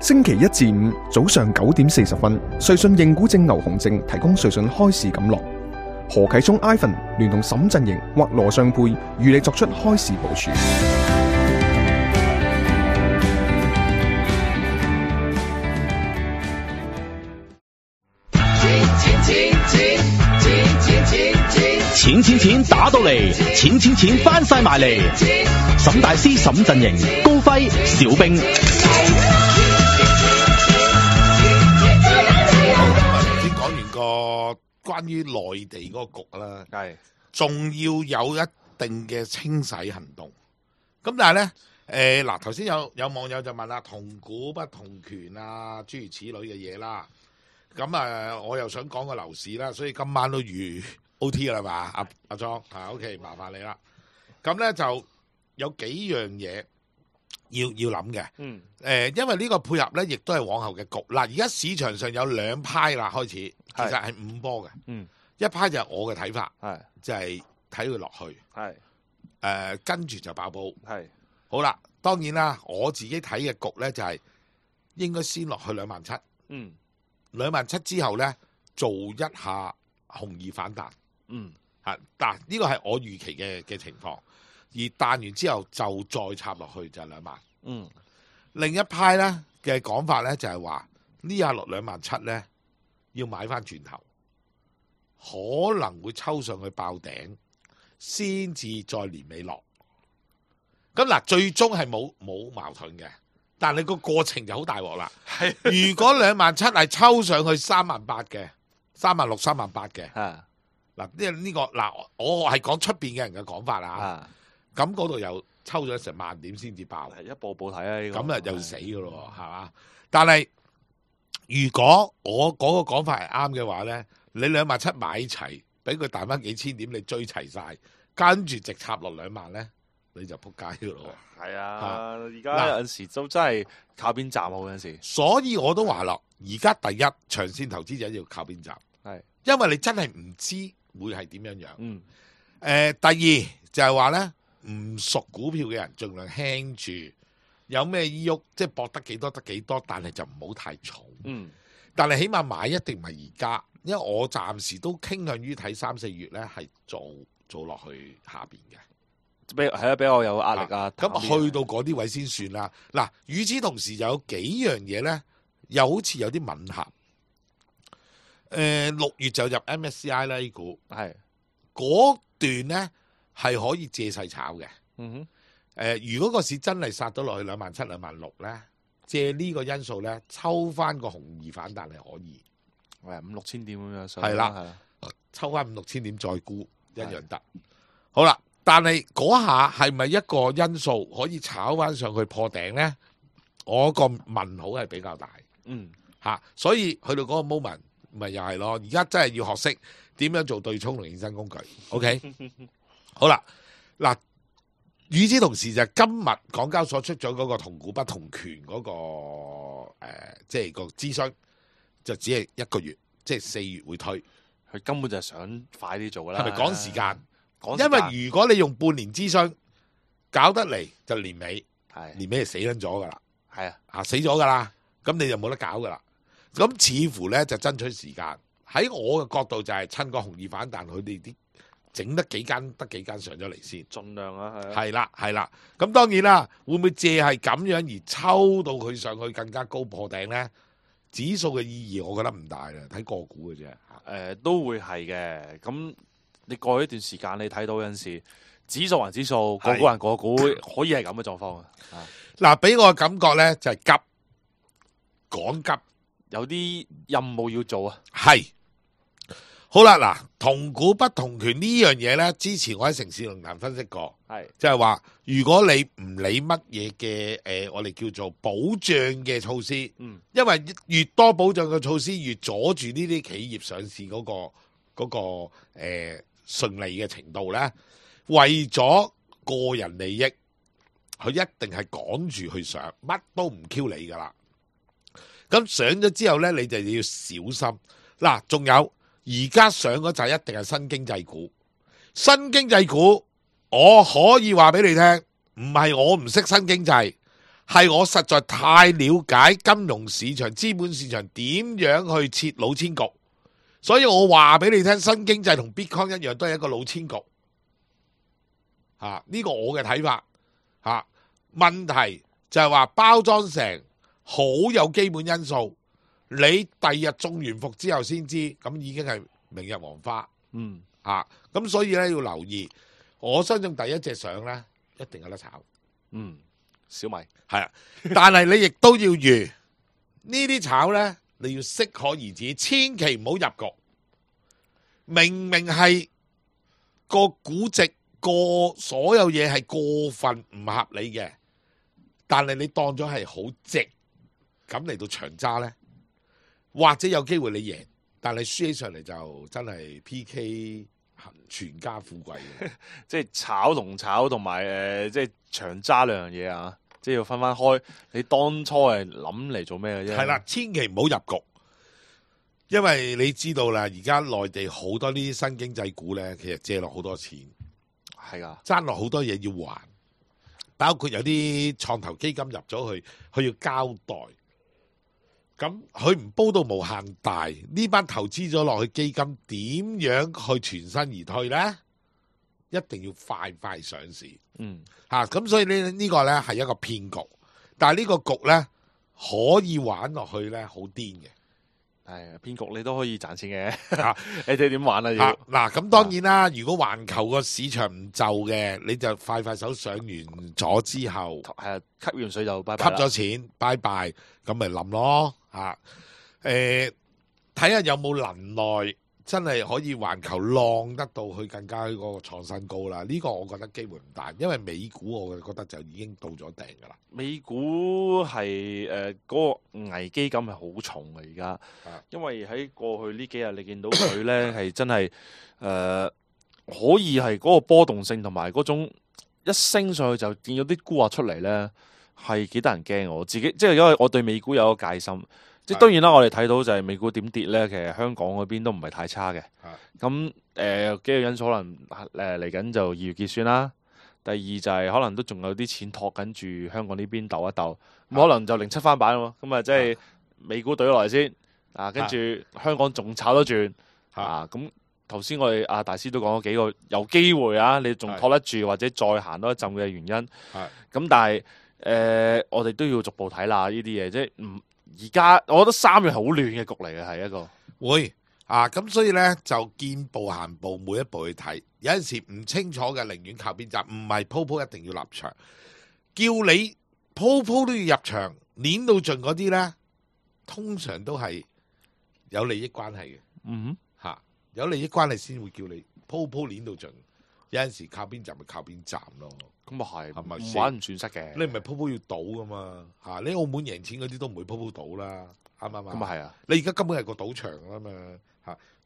星期一至五早上9點40分，瑞信認股證牛熊證提供瑞信開市錦囊。何啟聰 Ivan 聯同沈振盈或羅尚沛與你作出開市部署。錢打到嚟，錢翻晒埋嚟。沈大師、沈振盈、高輝、小兵。先講完個關於內地嗰個局啦，係仲要有一定嘅清洗行動。咁但係咧，嗱頭先有網友就問啦，同股不同權啊，諸如此類嘅嘢啦。咁我又想講個樓市啦，所以今晚都預 OT 啦嘛，阿莊OK， 麻煩你啦。咁咧就有幾樣嘢要諗嘅。因為呢個配合咧，亦都係往後嘅局。嗱，而家市場上有兩派啦，開始其實係五波嘅。一派就係我嘅睇法，就係睇佢落去，跟住就爆煲。好啦，當然啦，我自己睇嘅局咧就係應該先落去27,000。27,000之後咧，做一下紅二反彈。嗱，呢個係我預期嘅情況。而彈完之後就再插落去就係2萬。另一派咧嘅講法咧就係話呢下落27,000咧要買翻轉頭，可能會抽上去爆頂，先至再年尾落。咁嗱，最終係冇矛盾嘅，但係個過程就好大鑊啦。如果27,000係抽上去38,000嘅，36,000、38,000嘅，嗱呢個嗱我係講出邊嘅人嘅講法啦。咁嗰度又抽咗成萬點先至爆，一步步睇啊！呢個咁啊又死噶咯，係嘛？但係如果我嗰個講法係啱嘅話咧，你27,000買齊，俾佢彈翻幾千點，你追齊晒，跟住直插落2萬咧，你就撲街噶咯。係啊，而家有陣時都真係靠邊站好有陣時。所以我都話咯，而家第一長線投資者要靠邊站，因為你真係唔知會係點樣樣。第二就係話咧。唔熟股票嘅人盡量輕住，有咩依郁即係搏得幾多得幾多，但係就唔好太重。但係起碼買一定唔係而家，因為我暫時都傾向於睇3、4月咧係做落去下邊嘅。比較有壓力啊。咁去到嗰啲位先算啦。嗱，與此同時就有幾樣嘢咧，又好似有啲吻合。6月就入 MSCI 啦，呢股係嗰段咧。係可以借勢炒嘅。如果個市真係殺到落去27,000、26,000咧，借呢個因素咧，抽翻個紅二反彈係可以，5、6千點咁樣上。係啦，抽翻5、6千點再沽一樣得。好啦，但係嗰下係咪一個因素可以炒翻上去破頂咧？我個問號係比較大。所以去到嗰個 moment 咪又係咯。而家真係要學識點樣做對沖同衍生工具。OK。好啦，嗱，與此同時就今日港交所出咗嗰個同股不同權嗰個即係個諮詢，就只係1個月，即係4月會推。佢根本就係想快啲做啦。係咪趕時間？因為如果你用半年諮詢搞得嚟，就年尾，年尾就死撚咗噶啦。死咗噶啦，咁你就冇得搞噶啦。咁似乎咧就爭取時間。喺我嘅角度就係趁個紅二反彈，佢哋啲。整得幾間上咗嚟先，盡量啊，係啦。咁當然啦，會唔會借係咁樣而抽到佢上去更加高破頂咧？指數嘅意義我覺得唔大啦，睇個股嘅啫。都會係嘅。咁你過去一段時間，你睇到有陣時指數還指數，個股還個股，可以係咁嘅狀況啊。嗱，俾我嘅感覺咧就係趕急，有啲任務要做啊。係。好啦，嗱，同股不同權呢樣嘢咧，之前我喺城市論壇分析過，即係話如果你唔理乜嘢嘅我哋叫做保障嘅措施，因為越多保障嘅措施，越阻住呢啲企業上市嗰個順利嘅程度咧，為咗個人利益，佢一定係趕住去上，乜都唔 Q 你噶啦。咁上咗之後咧，你就要小心。嗱，仲有。而家上嗰就一定係新經濟股，新經濟股我可以話俾你聽，唔係我唔識新經濟，係我實在太了解金融市場、資本市場點樣去設老千局，所以我話俾你聽，新經濟同 Bitcoin 一樣，都係一個老千局。呢個我嘅睇法。問題就係話包裝成好有基本因素，你第日中完伏之後先知，咁已經係明日黃花。咁所以咧要留意，我相信第一隻上咧一定有得炒。小米係啊，但係你亦都要預呢啲炒咧，你要適可而止，千祈唔好入局。明明係個估值所有嘢係過分唔合理嘅，但係你當咗係好值，咁嚟到長揸咧，或者有機會你贏，但係輸起上嚟就真係 PK 全家富貴嘅。即係炒同埋即係長揸兩樣嘢啊！即係要分開。你當初係諗嚟做咩嘅啫？係啦，千祈唔好入局，因為你知道啦，而家內地好多呢啲新經濟股咧，其實借落好多錢，係噶，爭落好多嘢要還，包括有啲創投基金入咗去，佢要交代。咁佢唔煲到無限大，呢班投資咗落去基金點樣去全身而退呢？一定要快上市。咁所以呢個呢係一個騙局，但係呢個局呢，可以玩落去呢，好癲嘅。係騙局你都可以賺錢嘅。你哋點玩啊？嗱，咁當然啦，如果環球個市場唔就嘅，你就快手上完咗之後，吸完水就拜拜啦，吸咗錢拜拜，咁咪冧咯。睇下有冇能耐真係可以環球浪得到去更加嗰個創新高啦。呢個我覺得機會唔大，因為美股我覺得就已經到咗頂噶啦。美股係嗰個危機感係好重嘅而家，因為喺過去呢幾日你見到佢咧係真係可以係嗰個波動性同埋嗰種一升上去就見到啲沽壓出嚟咧，係幾得人驚。我自己即係因為我對美股有一個戒心。即係當然啦，我哋睇到就係美股點跌咧，其實香港嗰邊都唔係太差嘅。咁幾個因素可能嚟緊就2月結算啦。第二就係可能都仲有啲錢托緊住香港呢邊鬥一鬥，咁可能就07翻版喎。咁啊即係美股懟落嚟先，跟住香港仲炒得轉。咁頭先我哋阿大師都講咗幾個有機會啊，你仲托得住或者再行多一陣嘅原因。咁但係我哋都要逐步睇啦，呢啲嘢即係唔。而家我覺得3月係好亂嘅局嚟嘅，係一個會咁所以咧就見步行步，每一步去睇。有陣時唔清楚嘅，寧願靠邊站，唔係鋪一定要立場。叫你鋪都要入場，碾到盡嗰啲咧，通常都係有利益關係嘅。有利益關係先會叫你鋪碾到盡。有陣時靠邊站咪靠邊站咯。咁啊係咪唔玩唔損失嘅？你唔係鋪要賭噶嘛？你澳門贏錢嗰啲都唔會鋪賭啦，啱唔啱啊？咁啊係啊！你而家根本係個賭場啊嘛，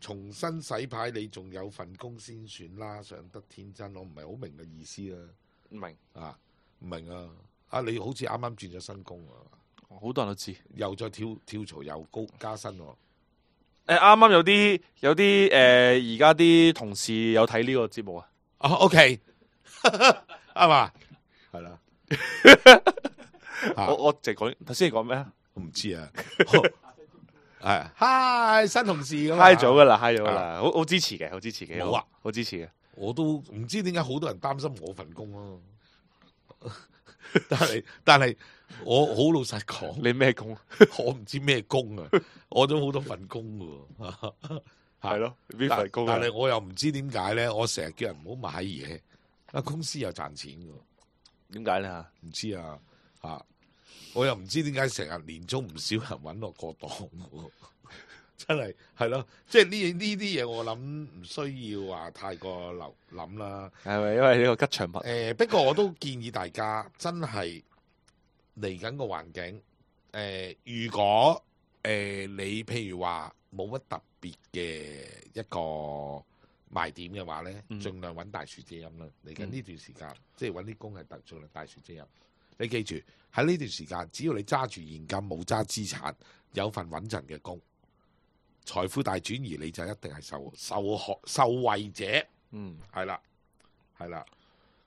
重新洗牌你仲有份工先算啦，上得天真，我唔係好明嘅意思啦。唔明唔明啊！你好似啱啱轉咗新工啊，好多人都知，又再跳槽又高加薪喎。啱啱有啲而家啲同事有睇呢個節目啊。OK， 啱嘛？係啦。我淨係講頭先，你講咩啊？我唔知啊。係，hi 新同事咁，hi 咗噶啦，hi 咗噶啦，好支持嘅，好支持嘅。冇好支持嘅。我都唔知點解好多人擔心我份工咯。但係我好老實講，你咩工？我唔知咩工啊，我都好多份工噶。係咯，邊份工？但係我又唔知點解咧，我成日叫人唔好買嘢，公司又賺錢噶。點解咧？唔知啊，我又唔知點解成日年終唔少人揾我過檔，真係咯，即係呢啲嘢我諗唔需要話太過諗啦。係咪因為呢個吉祥物？不過我都建議大家真係嚟緊個環境，如果你譬如話冇乜特別嘅一個賣點嘅話咧，盡量揾大樹遮陰啦。嚟緊呢段時間，即係揾啲工係盡量大樹遮陰。你記住喺呢段時間，只要你揸住現金冇揸資產，有份穩陣嘅工，財富大轉移你就一定係受惠者。係啦。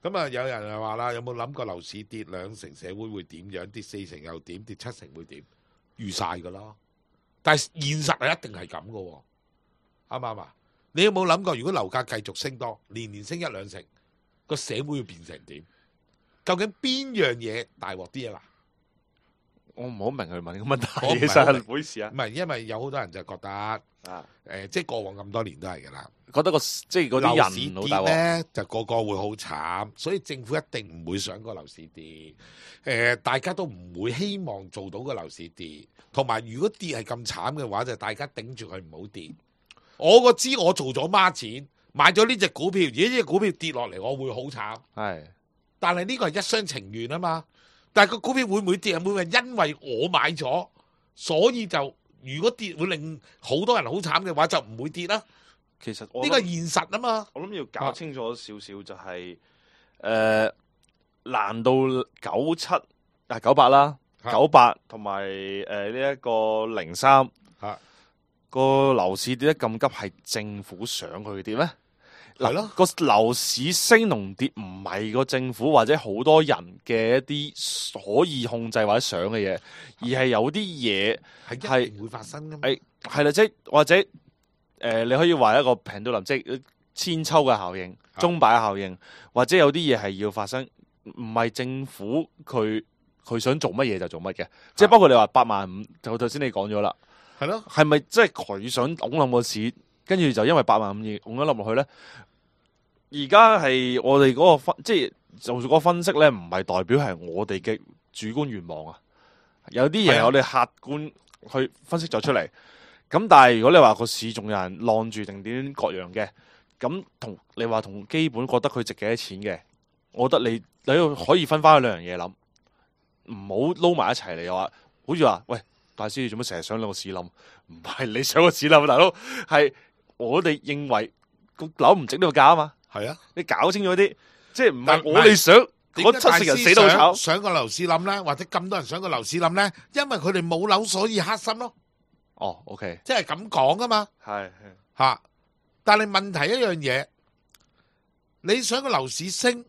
咁啊，有人又話啦，有冇諗過樓市跌2成，社會會點樣？跌4成又點？跌7成會點？預晒噶啦。但係現實係一定係咁噶，啱唔啱啊？你有冇諗過，如果樓價繼續升多，年年升1-2成，個社會會變成點？究竟邊樣嘢大鑊啲啊？嗱，我唔好明佢問個問題，其實唔好意思啊。唔係，因為有好多人就覺得即係過往咁多年都係噶啦，覺得即係嗰啲人樓市跌咧，就個個會好慘，所以政府一定唔會想個樓市跌。大家都唔會希望做到個樓市跌，同埋如果跌係咁慘嘅話，就大家頂住佢唔好跌。我知我做咗孖錢，買咗呢隻股票，而呢隻股票跌落嚟，我會好慘。係，但係呢個係一廂情願啊嘛。但係個股票會唔會跌？會唔會因為我買咗，所以就如果跌會令好多人好慘嘅話，就唔會跌啦。其實呢個係現實啊嘛。我諗要搞清楚少少就係難道98啦，98同埋呢一個03個樓市跌得咁急，係政府想佢跌咩？係咯，個樓市升同跌唔係個政府或者好多人嘅一啲可以控制或者想嘅嘢，而係有啲嘢係一定會發生噶嘛。係啦，即係或者你可以話一個pendulum度林，即係千秋嘅效應、鐘擺嘅效應，或者有啲嘢係要發生，唔係政府佢想做乜嘢就做乜嘅，即係包括你話85000，就頭先你講咗啦。係咯，係咪即係佢想拱冧個市，跟住就因為85000而拱咗冧落去咧？而家係我哋嗰個即係做嗰個分析咧，唔係代表係我哋嘅主觀願望啊。有啲嘢我哋客觀去分析咗出嚟。咁但係如果你話個市仲有人晾住定點各樣嘅，咁同你話同基本覺得佢值幾多錢嘅，我覺得你可以分翻兩樣嘢諗，唔好撈埋一齊嚟話，好似話喂。大師，你做乜成日想個市冧？唔係你想個市冧，大佬係我哋認為個樓唔值呢個價啊嘛。係啊，你搞清楚啲，即係唔係我哋想嗰7成人死都炒，想個樓市冧咧，或者咁多人想個樓市冧咧，因為佢哋冇樓，所以黑心咯。哦，OK，即係咁講噶嘛。係嚇，但係問題一樣嘢，你想個樓市升，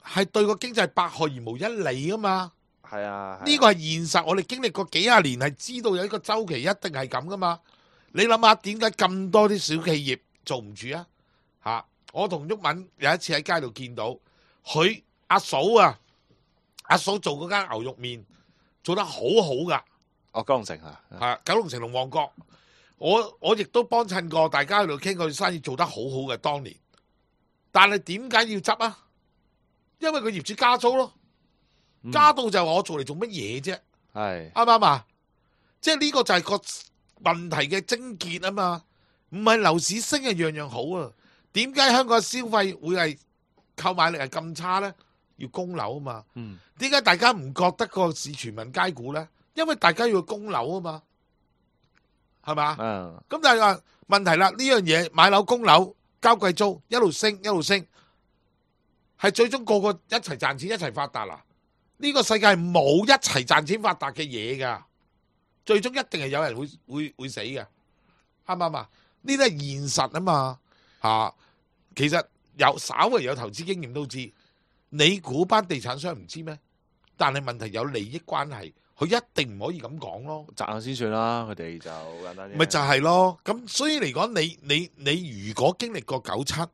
係對個經濟百害而無一利啊嘛。係啊，呢個係現實，我哋經歷過幾廿年，係知道有一個周期一定係咁噶嘛。你諗下點解咁多啲小企業做唔住啊？吓，我同毓民有一次喺街度見到佢阿嫂啊，阿嫂做嗰間牛肉麵做得好好噶。哦，九龍城係九龍城同旺角，我亦都幫襯過，大家喺度傾佢生意做得好好嘅當年。但係點解要執啊？因為佢業主加租咯。加到就係我做嚟做乜嘢啫？係啱唔啱啊？即係呢個就係個問題嘅症結啊嘛，唔係樓市升係樣樣好啊。點解香港嘅消費會係購買力係咁差咧？要供樓啊嘛。點解大家唔覺得個市全民皆股咧？因為大家要供樓啊嘛，係嘛？咁但係話問題啦，呢樣嘢買樓供樓交貴租一路升一路升，係最終個個一齊賺錢一齊發達啦。呢個世界係冇一齊賺錢發達嘅嘢噶，最終一定係有人會死嘅，啱唔啱啊？呢啲係現實啊嘛，吓，其實稍微有投資經驗都知，你估班地產商唔知咩？但係問題有利益關係，佢一定唔可以咁講咯，賺下先算啦，佢哋就簡單啲。咪就係咯，咁所以嚟講，你如果經歷過97。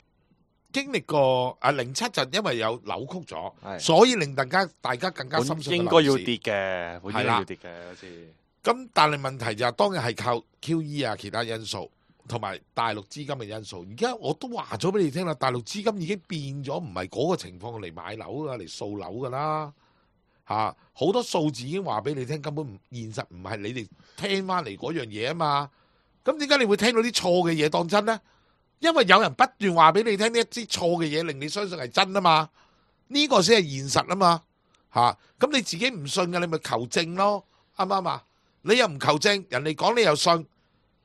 經歷過07就因為有扭曲咗，所以令大家更加深信應該要跌嘅，本應該要跌嘅好似。咁但係問題就係當然係靠 QE 啊其他因素，同埋大陸資金嘅因素。而家我都話咗俾你聽啦，大陸資金已經變咗，唔係嗰個情況嚟買樓噶，嚟掃樓噶啦嚇。好多數字已經話俾你聽，根本現實唔係你哋聽翻嚟嗰樣嘢啊嘛。咁點解你會聽到啲錯嘅嘢當真呢？因為有人不斷話俾你聽呢一啲錯嘅嘢，令你相信係真啊嘛，呢個先係現實啊嘛，吓，咁你自己唔信嘅，你咪求證咯，啱唔啱啊？你又唔求證，人哋講你又信，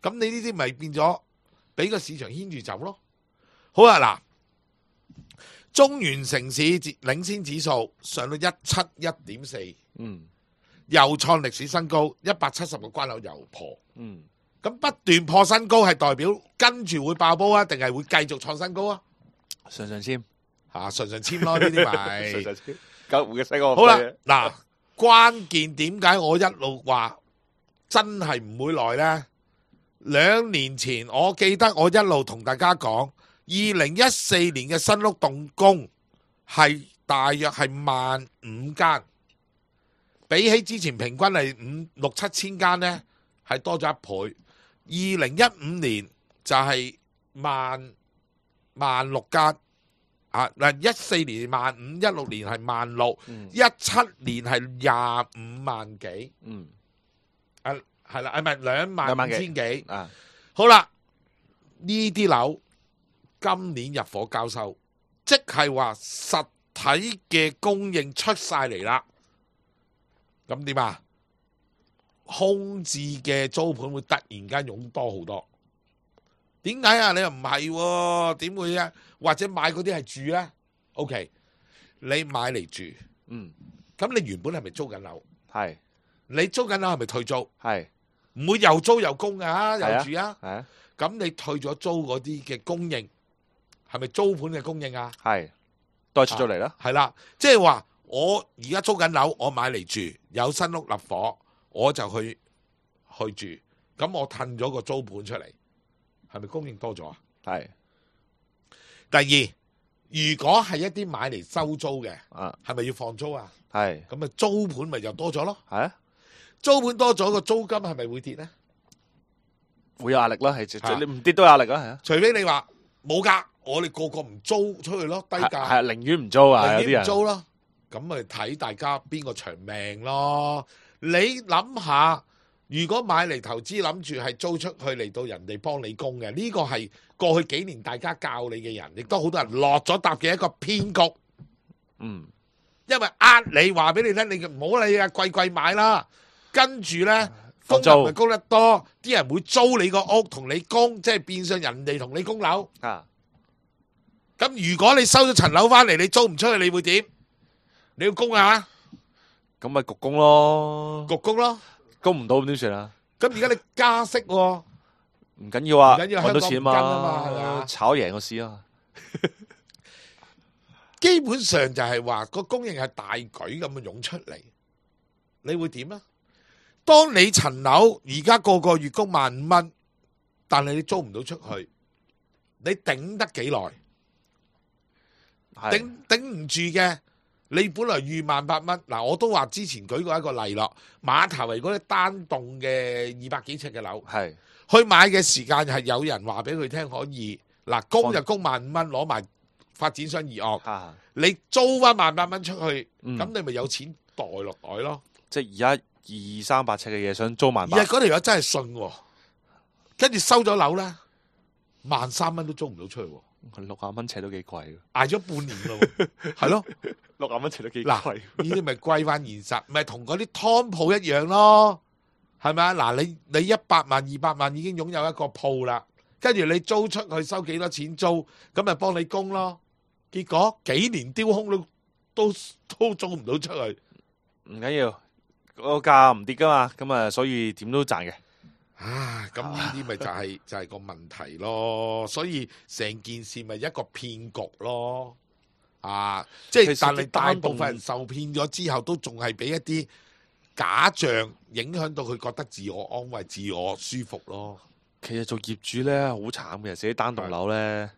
咁你呢啲咪變咗俾個市場牽住走咯。好啊，嗱，中原城市領先指數上到171.4，又創歷史新高，170個關口又破，咁不斷破新高係代表跟住會爆煲啊，定係會繼續創新高啊？上籤純簽咯呢啲咪。純粹簽救護嘅西個。好啦，嗱，關鍵點解我一路話真係唔會來呢？2年前我記得我一路同大家講，2014年嘅新屋動工係大約係15,000間，比起之前平均係6,000-7,000間呢，係多咗1倍。2015年就係16,000間。14年15,000，16年係16,000，17年係25萬幾，係啦，唔係25,000幾，好啦，呢啲樓今年入伙交收，即係話實體嘅供應出晒嚟啦，咁點啊？空置嘅租盤會突然間湧多好多。點解啊？你又唔係喎？點會啊？或者買嗰啲係住咧 ？OK， 你買嚟住，咁你原本係咪租緊樓？係。你租緊樓係咪退租？係。唔會又租又供啊，又住啊？係啊。咁你退咗租嗰啲嘅供應，係咪租盤嘅供應啊？係。都係出咗嚟啦。係啦，即係話我而家租緊樓，我買嚟住，有新屋立伙，我就去住，咁我褪咗個租盤出嚟。係咪供應多咗啊？係。第二，如果係一啲買嚟收租嘅，係咪要放租啊？係。咁啊租盤咪就多咗咯？係啊。租盤多咗，個租金係咪會跌咧？會有壓力啦，係你唔跌都有壓力啦，係啊。除非你話冇㗎，我哋個唔租出去咯，低價。係啊，寧願唔租啊，寧願唔租咯。咁咪睇大家邊個長命咯？你諗下。如果買嚟投資諗住係租出去嚟到人哋幫你供嘅，呢個係過去幾年大家教你嘅人，亦都好多人落咗搭嘅一個騙局。因為你話俾你聽，你唔好理啊，貴買啦。跟住呢，供又咪供得多，啲人會租你個屋同你供，即係變相人哋同你供樓。咁如果你收咗層樓翻嚟，你租唔出去，你會點？你要供啊？咁咪焗供咯，焗供咯。供唔到咁點算啊？咁而家你加息喎，唔緊要啊，揾到錢嘛，炒贏個市啊！基本上就係話個供應係大舉咁樣湧出嚟，你會點啊？當你層樓而家個月供15,000蚊，但係你租唔到出去，你頂得幾耐？頂唔住嘅。你本來預18,000蚊，嗱我都話之前舉過一個例咯，馬頭圍嗰啲單棟嘅200幾尺嘅樓，係去買嘅時間係有人話俾佢聽可以，嗱供就供15,000蚊，攞埋發展商議案，你租翻18,000蚊出去，咁你咪有錢袋落袋咯。即係而家200-300尺嘅嘢想租18,000，而係嗰條友真係信喎，跟住收咗樓咧，13,000蚊都租唔到出去喎。60蚊尺都幾貴，挨咗半年咯，係咯，60蚊尺都幾貴。嗱，呢啲咪歸翻現實，咪同嗰啲湯鋪一樣咯，係咪啊？嗱，你100萬、200萬已經擁有一個鋪啦，跟住你租出去收幾多錢租，咁咪幫你供咯。結果幾年丟空都租唔到出去，唔緊要，個價唔跌噶嘛，咁啊，所以點都賺嘅。咁呢啲咪就係個問題咯，所以成件事咪一個騙局咯，即係但係大部分人受騙咗之後，都仲係俾一啲假象影響到佢覺得自我安慰、自我舒服咯。其實做業主咧好慘嘅，寫單棟樓咧，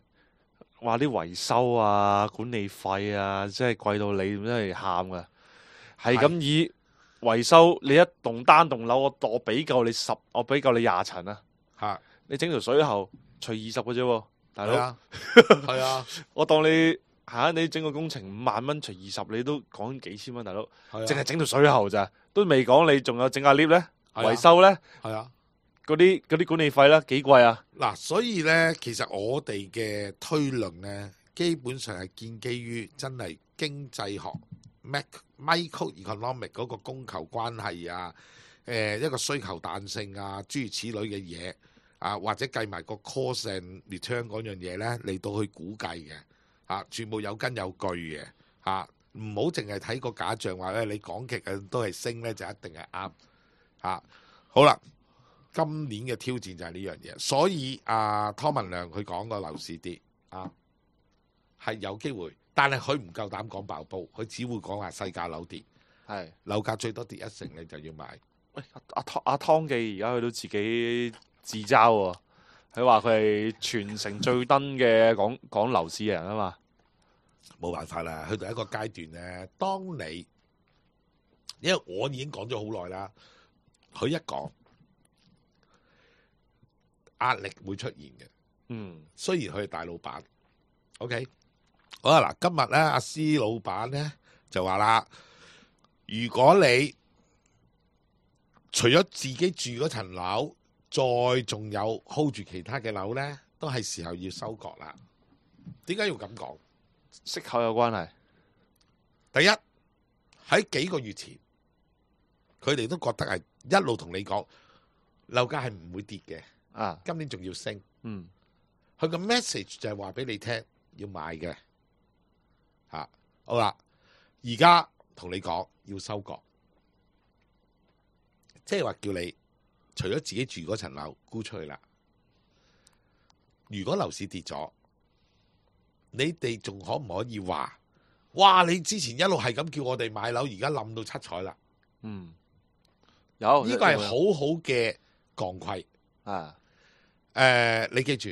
話啲維修啊、管理費啊，真係貴到你真係喊噶，係咁以。維修你一棟單棟樓，我俾夠你10，我俾夠你20層啊！吓，你整條水喉除20嘅啫，大佬。係啊，我當你你整個工程5萬蚊除20，你都講幾千蚊，大佬。淨係整條水喉咋，都未講你仲有整下 lift 咧，維修咧。係啊，嗰啲管理費咧幾貴啊！嗱，所以咧，其實我哋嘅推論咧，基本上係建基於真係經濟學。Microeconomic 嗰個供求關係啊，一個需求彈性啊，諸如此類嘅嘢啊，或者計埋個 cost and return 嗰樣嘢咧，嚟到去估計嘅全部有根有據嘅唔好淨係睇個假象話咧，你講極嘅都係升咧，就一定係啱好啦，今年嘅挑戰就係呢樣嘢，所以湯文亮佢講個樓市跌係有機會但係佢唔夠膽講爆煲，佢只會講話細價樓跌，係樓價最多跌1成你就要買。喂，阿湯記而家去到自己自嘲喎，佢話佢係全城最登嘅講樓市嘅人啊嘛。冇辦法啦，去到一個階段咧，當你因為我已經講咗好耐啦，佢一講壓力會出現嘅。雖然佢係大老闆 ，OK， 好啦，嗱，今日咧阿施老闆咧就話啦，如果你除咗自己住嗰層樓，再仲有 hold 住其他嘅樓咧，都係時候要收割啦。點解要咁講？息口有關係。第一喺幾個月前，佢哋都覺得係一路同你講樓價係唔會跌嘅，啊，今年仲要升。嗯，佢個 message 就係話俾你聽要買嘅，好啦，而家同你講要收割，即係話叫你除咗自己住嗰層樓沽出去啦。如果樓市跌咗，你哋仲可唔可以話，哇！你之前一路係咁叫我哋買樓，而家冧到七彩啦。有呢個係好好嘅鋼盔啊！你記住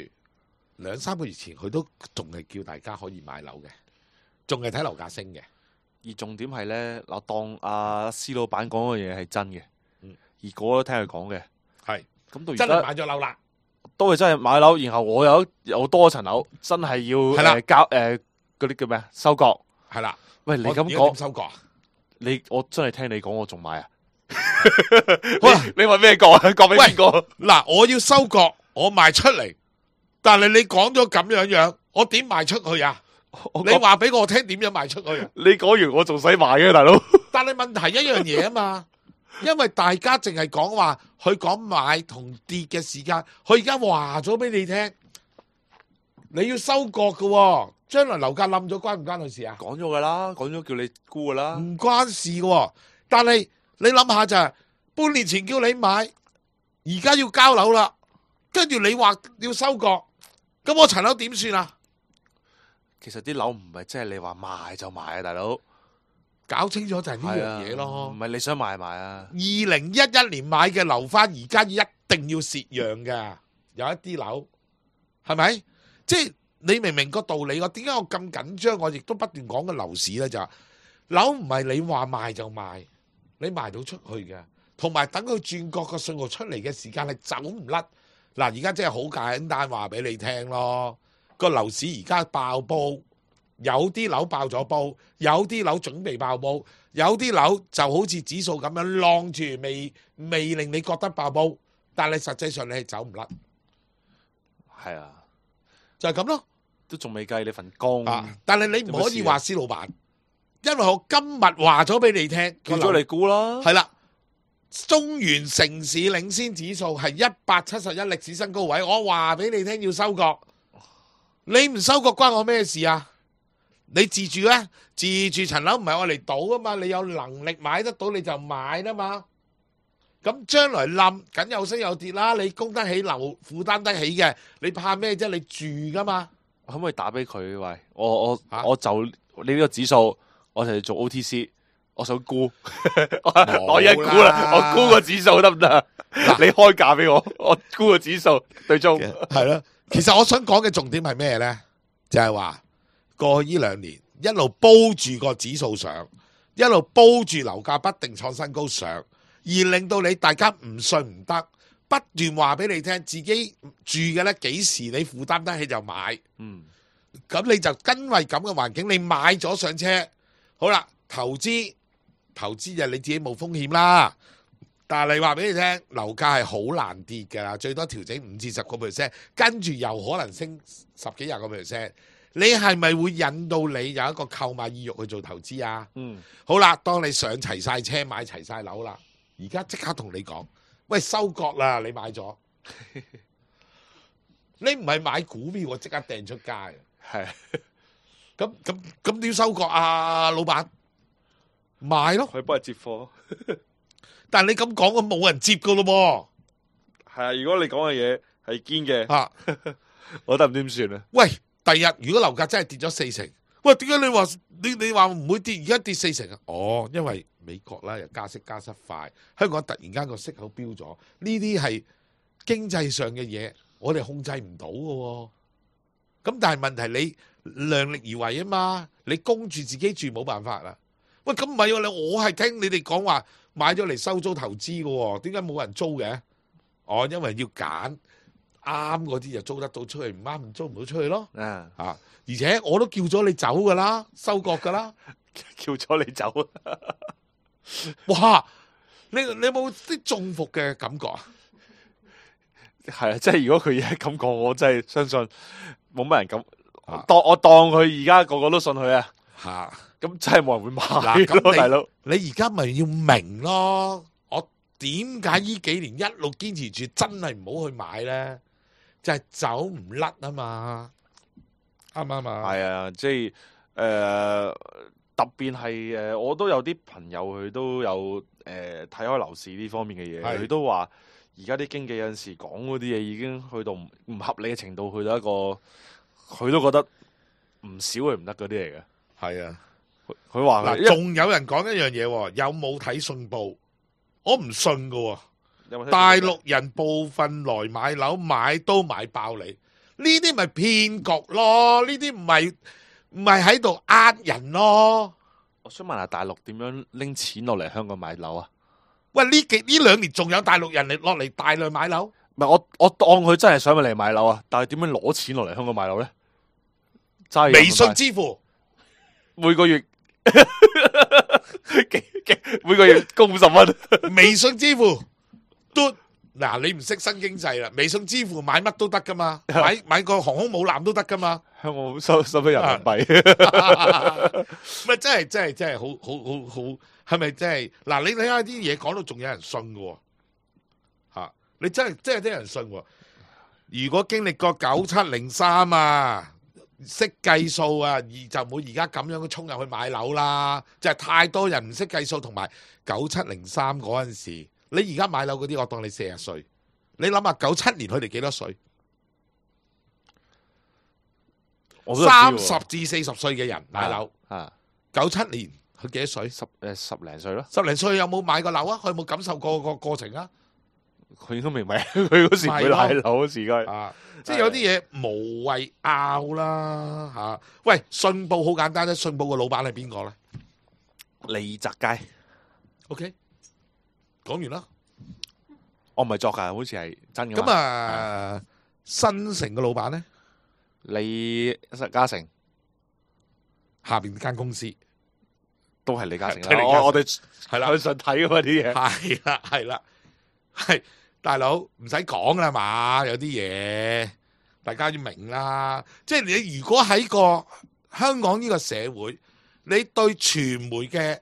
2-3個月前佢都仲係叫大家可以買樓嘅，仲係睇樓價升嘅。而重點係咧，嗱，當阿施老闆講嘅嘢係真嘅，而個個都聽佢講嘅，係咁到而家真係買咗樓啦，都係真係買樓，然後我有多層樓，真係要交嗰啲叫咩啊？收割係啦。喂，你咁講收割啊？我真係聽你講，我仲買啊？喂，你問咩割啊？割俾邊個？嗱，我要收割，我賣出嚟，但係你講咗咁樣，我點賣出去啊？你話俾我聽點樣賣出去啊？你講完我仲使賣嘅，大佬。但係問題一樣嘢啊嘛，因為大家淨係講話佢講買同跌嘅時間，佢而家話咗俾你聽，你要收割嘅，將來樓價冧咗關唔關佢事啊？講咗噶啦，講咗叫你沽噶啦，唔關事嘅。但係你諗下就係半年前叫你買，而家要交樓啦，跟住你話要收割，咁我層樓點算啊？其實啲樓唔係即係你話賣就賣啊，大佬，搞清楚就係呢樣嘢咯。唔係你想賣啊。2011年買嘅樓翻，而家一定要蝕讓噶，有一啲樓係咪？即係你明唔明個道理？我點解我咁緊張？我亦都不斷講嘅樓市咧，就係樓唔係你話賣就賣，你賣到出去嘅，同埋等佢轉角個信號出嚟嘅時間係走唔甩。嗱，而家真係好簡單話俾你聽咯。個樓市而家爆煲，有啲樓爆咗煲，有啲樓準備爆煲，有啲樓就好似指數咁樣晾住，未令你覺得爆煲，但係實際上你係走唔甩。係啊，就係咁咯，都仲未計你份工。但係你唔可以話施老闆，因為我今日話咗俾你聽，叫咗你估啦。係啦，中原城市領先指數係171歷史新高位，我話俾你聽要收割。你唔收割關我咩事啊？你自住咧，自住層樓唔係我嚟賭啊嘛，你有能力買得到你就買啦嘛。咁將來冧緊有升有跌啦，你供得起樓負擔得起嘅，你怕咩啫？你住噶嘛？可唔可以打俾佢？喂，我就你呢個指數，我就做 OTC， 我想沽，我一沽啦，我沽個指數得唔得？你開價俾我沽個指數對中係咯。其實我想講嘅重點係咩呢？就係話過去呢2年一路煲住個指數上，一路煲住樓價不定創新高上，而令到你大家唔信唔得，不斷話俾你聽自己住嘅呢幾時你負擔得起就買。咁你就因為咁嘅環境，你買咗上車，好啦，投資就你自己冇風險啦。但係你話俾你聽，樓價係好難跌㗎，最多調整5至10個 percent， 跟住又可能升10幾20個 percent。你係咪會引到你有一個購買意欲去做投資啊？好啦，當你上齊晒車，買齊晒樓啦，而家即刻同你講，喂，收割啦！你買咗，你唔係買股票，我即刻掟出街。係，咁點收割啊，老闆？賣咯，佢幫你接貨。但係你咁講，我冇人接噶咯喎。係啊，如果你講嘅嘢係堅嘅，我得唔點算啊？喂，第日如果樓價真係跌咗4成，喂，點解你話唔會跌？而家跌40%啊？哦，因為美國啦又加息加得快，香港突然間個息口飆咗，呢啲係經濟上嘅嘢，我哋控制唔到嘅。咁但係問題你量力而為啊嘛，你供住自己住冇辦法啦。喂，咁唔係喎，我係聽你哋講話買咗嚟收租投資嘅喎，點解冇人租嘅？哦，因為要揀啱嗰啲就租得到出去，唔啱租唔到出去咯。而且我都叫咗你走噶啦，收割噶啦，叫咗你走。哇！你有冇啲中伏嘅感覺啊？係啊，即係如果佢而家咁講，我真係相信冇乜人咁。我當佢而家個個都信佢啊。咁真係冇人會買咯，大佬。你而家咪要明咯，我點解呢幾年一路堅持住，真係唔好去買咧？就係走唔甩啊嘛，啱唔啱啊？係啊，即係特別係我都有啲朋友佢都有睇開樓市呢方面嘅嘢，佢都話而家啲經紀有陣時講嗰啲嘢已經去到唔合理嘅程度，去到一個佢都覺得唔少係唔得嗰啲嚟嘅。係啊，佢話嗱，仲有人講一樣嘢，有冇睇信報？我唔信噶。大陸人部分來買樓，買都買爆你，呢啲咪騙局咯？呢啲唔係喺度呃人咯。我想問下大陸點樣拎錢落嚟香港買樓啊？喂，呢2年仲有大陸人嚟落嚟大量買樓？唔係我當佢真係想嚟買樓啊，但係點樣攞錢落嚟香港買樓咧？微信支付，每個月每個月供50蚊，微信支付。嗱，你唔識新經濟啦，微信支付買乜都得噶嘛，買個航空母艦都得噶嘛。香港收咗人民幣，咪真係好，係咪真係？嗱，你睇下啲嘢講到仲有人信嘅，吓，你真係啲人信喎。如果經歷過9703啊，識計數啊，就唔會而家咁樣衝入去買樓啦。就係太多人唔識計數，同埋9703嗰陣時。你而家買樓嗰啲，我當你40歲。你諗下97年佢哋幾多歲？30至40歲嘅人買樓。97年佢幾多歲？十零歲咯。10零歲有冇買過樓啊？佢有冇感受過個過程啊？佢都未買，佢嗰時唔會買樓時間。即係有啲嘢無謂拗啦嚇。喂，信報好簡單啫，信報個老闆係邊個咧？李澤楷。OK。講完啦，我唔係作㗎，好似係真嘅。咁新城嘅老闆咧，李嘉誠下邊間公司都係李嘉誠啦。我哋係啦，去上睇嗰啲嘢，係啦，係大佬唔使講啦嘛，有啲嘢大家要明啦。即係你如果喺個香港呢個社會，你對傳媒嘅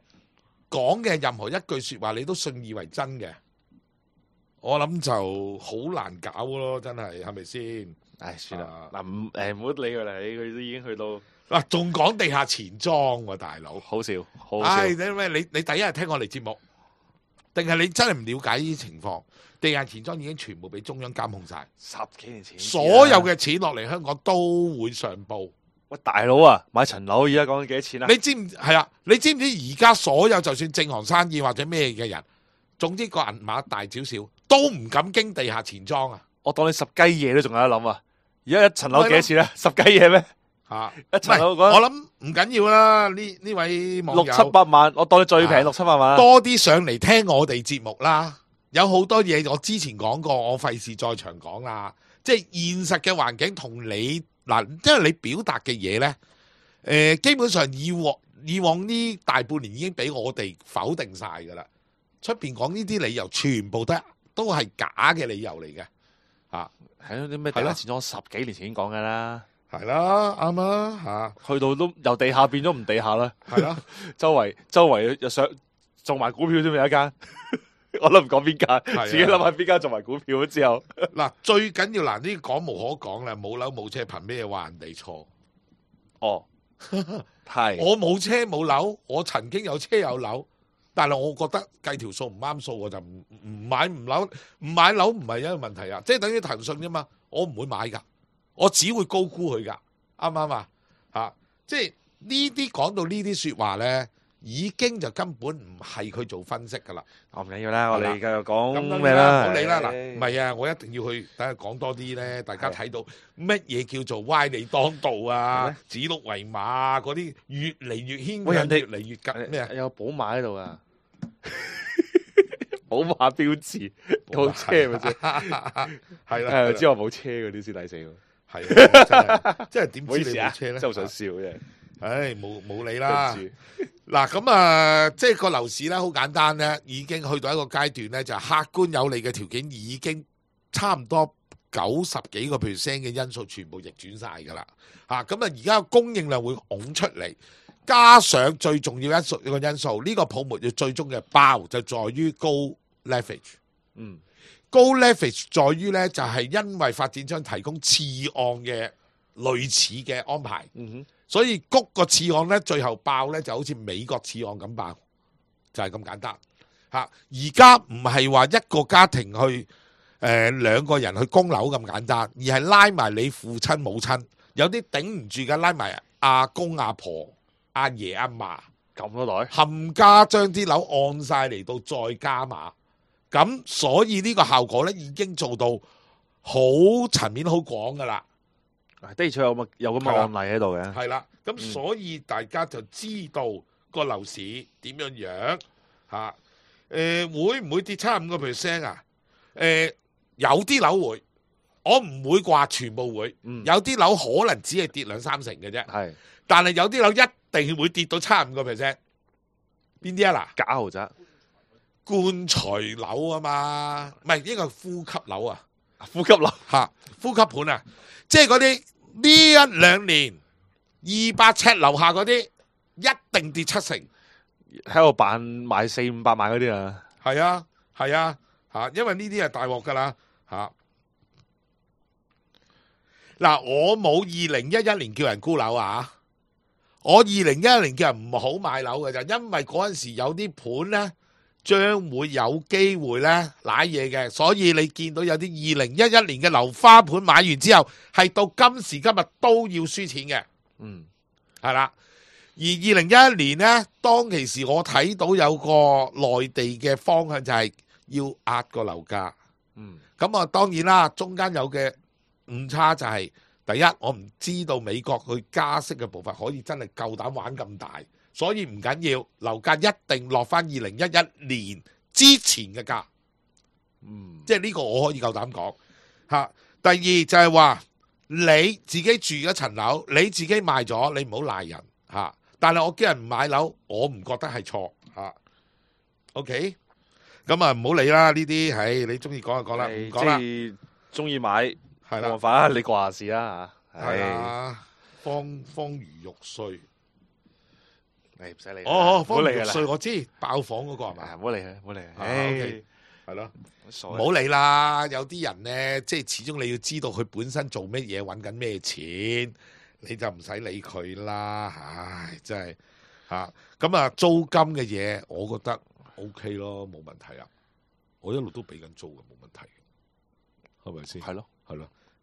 講嘅任何一句說話，你都信以為真嘅，我諗就好難搞咯，真係，係咪先？唉，算啦，嗱，唔好理佢啦，佢都已經去到嗱，仲講地下錢莊喎，大佬，好笑，好笑。唉，你第一日聽我哋節目，定係你真係唔了解呢啲情況？地下錢莊已經全部俾中央監控晒，10幾年前，所有嘅錢落嚟香港都會上報。喂，大佬啊，買層樓而家講緊幾多錢啊？你知唔係啊？你知唔知而家所有就算正行生意或者咩嘅人，總之個銀碼大少少，都唔敢經地下錢莊啊！我當你10雞嘢都仲有得諗啊！而家一層樓幾多錢咧？10雞嘢咩？一層樓我諗唔緊要啦。呢位網友600-700萬，我當你最平600-700萬。多啲上嚟聽我哋節目啦。有好多嘢我之前講過，我費事再長講啦。即係現實嘅環境同你。嗱，因為你表達嘅嘢咧，基本上以往呢大半年已經俾我哋否定晒噶啦。出邊講呢啲理由，全部都係假嘅理由嚟嘅，係咯，啲咩地下錢莊10幾年前已經講噶啦，係啦，啱啦，去到都由地下變咗唔地下啦，係啦，周圍又想做埋股票添，有一間。我都唔講邊間，自己諗下邊間做埋股票之後。嗱，最緊要呢講無可講啦，冇樓冇車，憑咩話人哋錯？哦，係我冇車冇樓，我曾經有車有樓，但係我覺得計條數唔啱數，我就唔買樓唔係一個問題啊！即係等於騰訊啫嘛，我唔會買噶，我只會高估佢噶，啱唔啱啊？即係呢啲講到呢啲説話咧，已經就根本唔係佢做分析噶啦。唔緊要啦，我哋繼續咁講咩啦？唔好理啦，嗱，唔係啊，我一定要去等佢講多啲咧，大家睇到乜嘢叫做歪理當道啊、指鹿為馬啊嗰啲，越嚟越牽強，越嚟越緊咩啊？有寶馬喺度啊！寶馬標誌，套車咪先，係啦，知我冇車嗰啲先抵死喎。係，真係點知你冇車咧？真係好想笑啫。唉，冇理啦。嗱，咁即係個樓市咧，好簡單咧，已經去到一個階段咧，就客觀有利嘅條件已經差唔多90幾個% 嘅因素全部逆轉晒㗎啦。咁而家個供應量會拱出嚟。加上最重要一個因素，呢個泡沫要最終嘅爆就在於高 leverage。高 leverage 在於呢，就係因為發展商提供次按嘅類似嘅安排，所以谷個次按呢，最後爆呢就好似美國次按咁爆，就係咁簡單。而家唔係話一個家庭去兩個人去供樓咁簡單，而係拉埋你父親母親，有啲頂唔住嘅拉埋阿公阿婆。阿爺阿嫲咁多袋，冚家將啲樓按晒嚟到再加碼，咁所以呢個效果咧已經做到好層面好廣噶啦。的確有咁嘅案例喺度嘅。係啦，咁所以大家就知道個樓市點樣樣嚇。會唔會跌75%啊？有啲樓會，我唔會話全部會。有啲樓可能只係跌2-3成嘅啫。係，但係有啲樓一定會跌到75%，邊啲啊？嗱，假豪宅、棺材樓啊嘛，唔係應該係呼吸樓啊，呼吸樓呼吸盤啊，即係嗰啲呢1-2年200尺樓下嗰啲，一定跌7成，喺度扮賣400-500萬嗰啲啊，係啊，因為呢啲係大鑊噶啦嗱，我冇2011年叫人沽樓啊。我2011年叫人唔好買樓嘅就因為嗰陣時有啲盤呢將會有機會呢瀨嘢嘅，所以你見到有啲2011年嘅樓花盤買完之後，係到今時今日都要輸錢嘅。係啦。而2011年呢，當其時我睇到有個內地嘅方向就係要壓個樓價。咁啊，當然啦，中間有嘅誤差就係。第一，我唔知道美國佢加息嘅步伐可以真係夠膽玩咁大，所以唔緊要，樓價一定落翻2011年之前嘅價。即係呢個我可以夠膽講。第二就係話你自己住咗層樓，你自己賣咗，你唔好賴人。但係我叫人唔買樓，我唔覺得係錯。OK， 咁啊唔好理啦呢啲，係你中意講就講啦，唔講啦。中意買。係啦，冇辦法，你話事啦嚇。係啊，方如玉碎，你唔使理。方如玉碎我知，爆房嗰個係咪？唔好理佢，唔好理佢。OK，係咯，唔好理啦。有啲人咧，即係始終你要知道佢本身做乜嘢，揾緊咩錢，你就唔使理佢啦。唉，真係嚇。咁啊，租金嘅嘢，我覺得 OK 咯，冇問題啊。我一路都俾緊租嘅，冇問題，係咪先？係咯。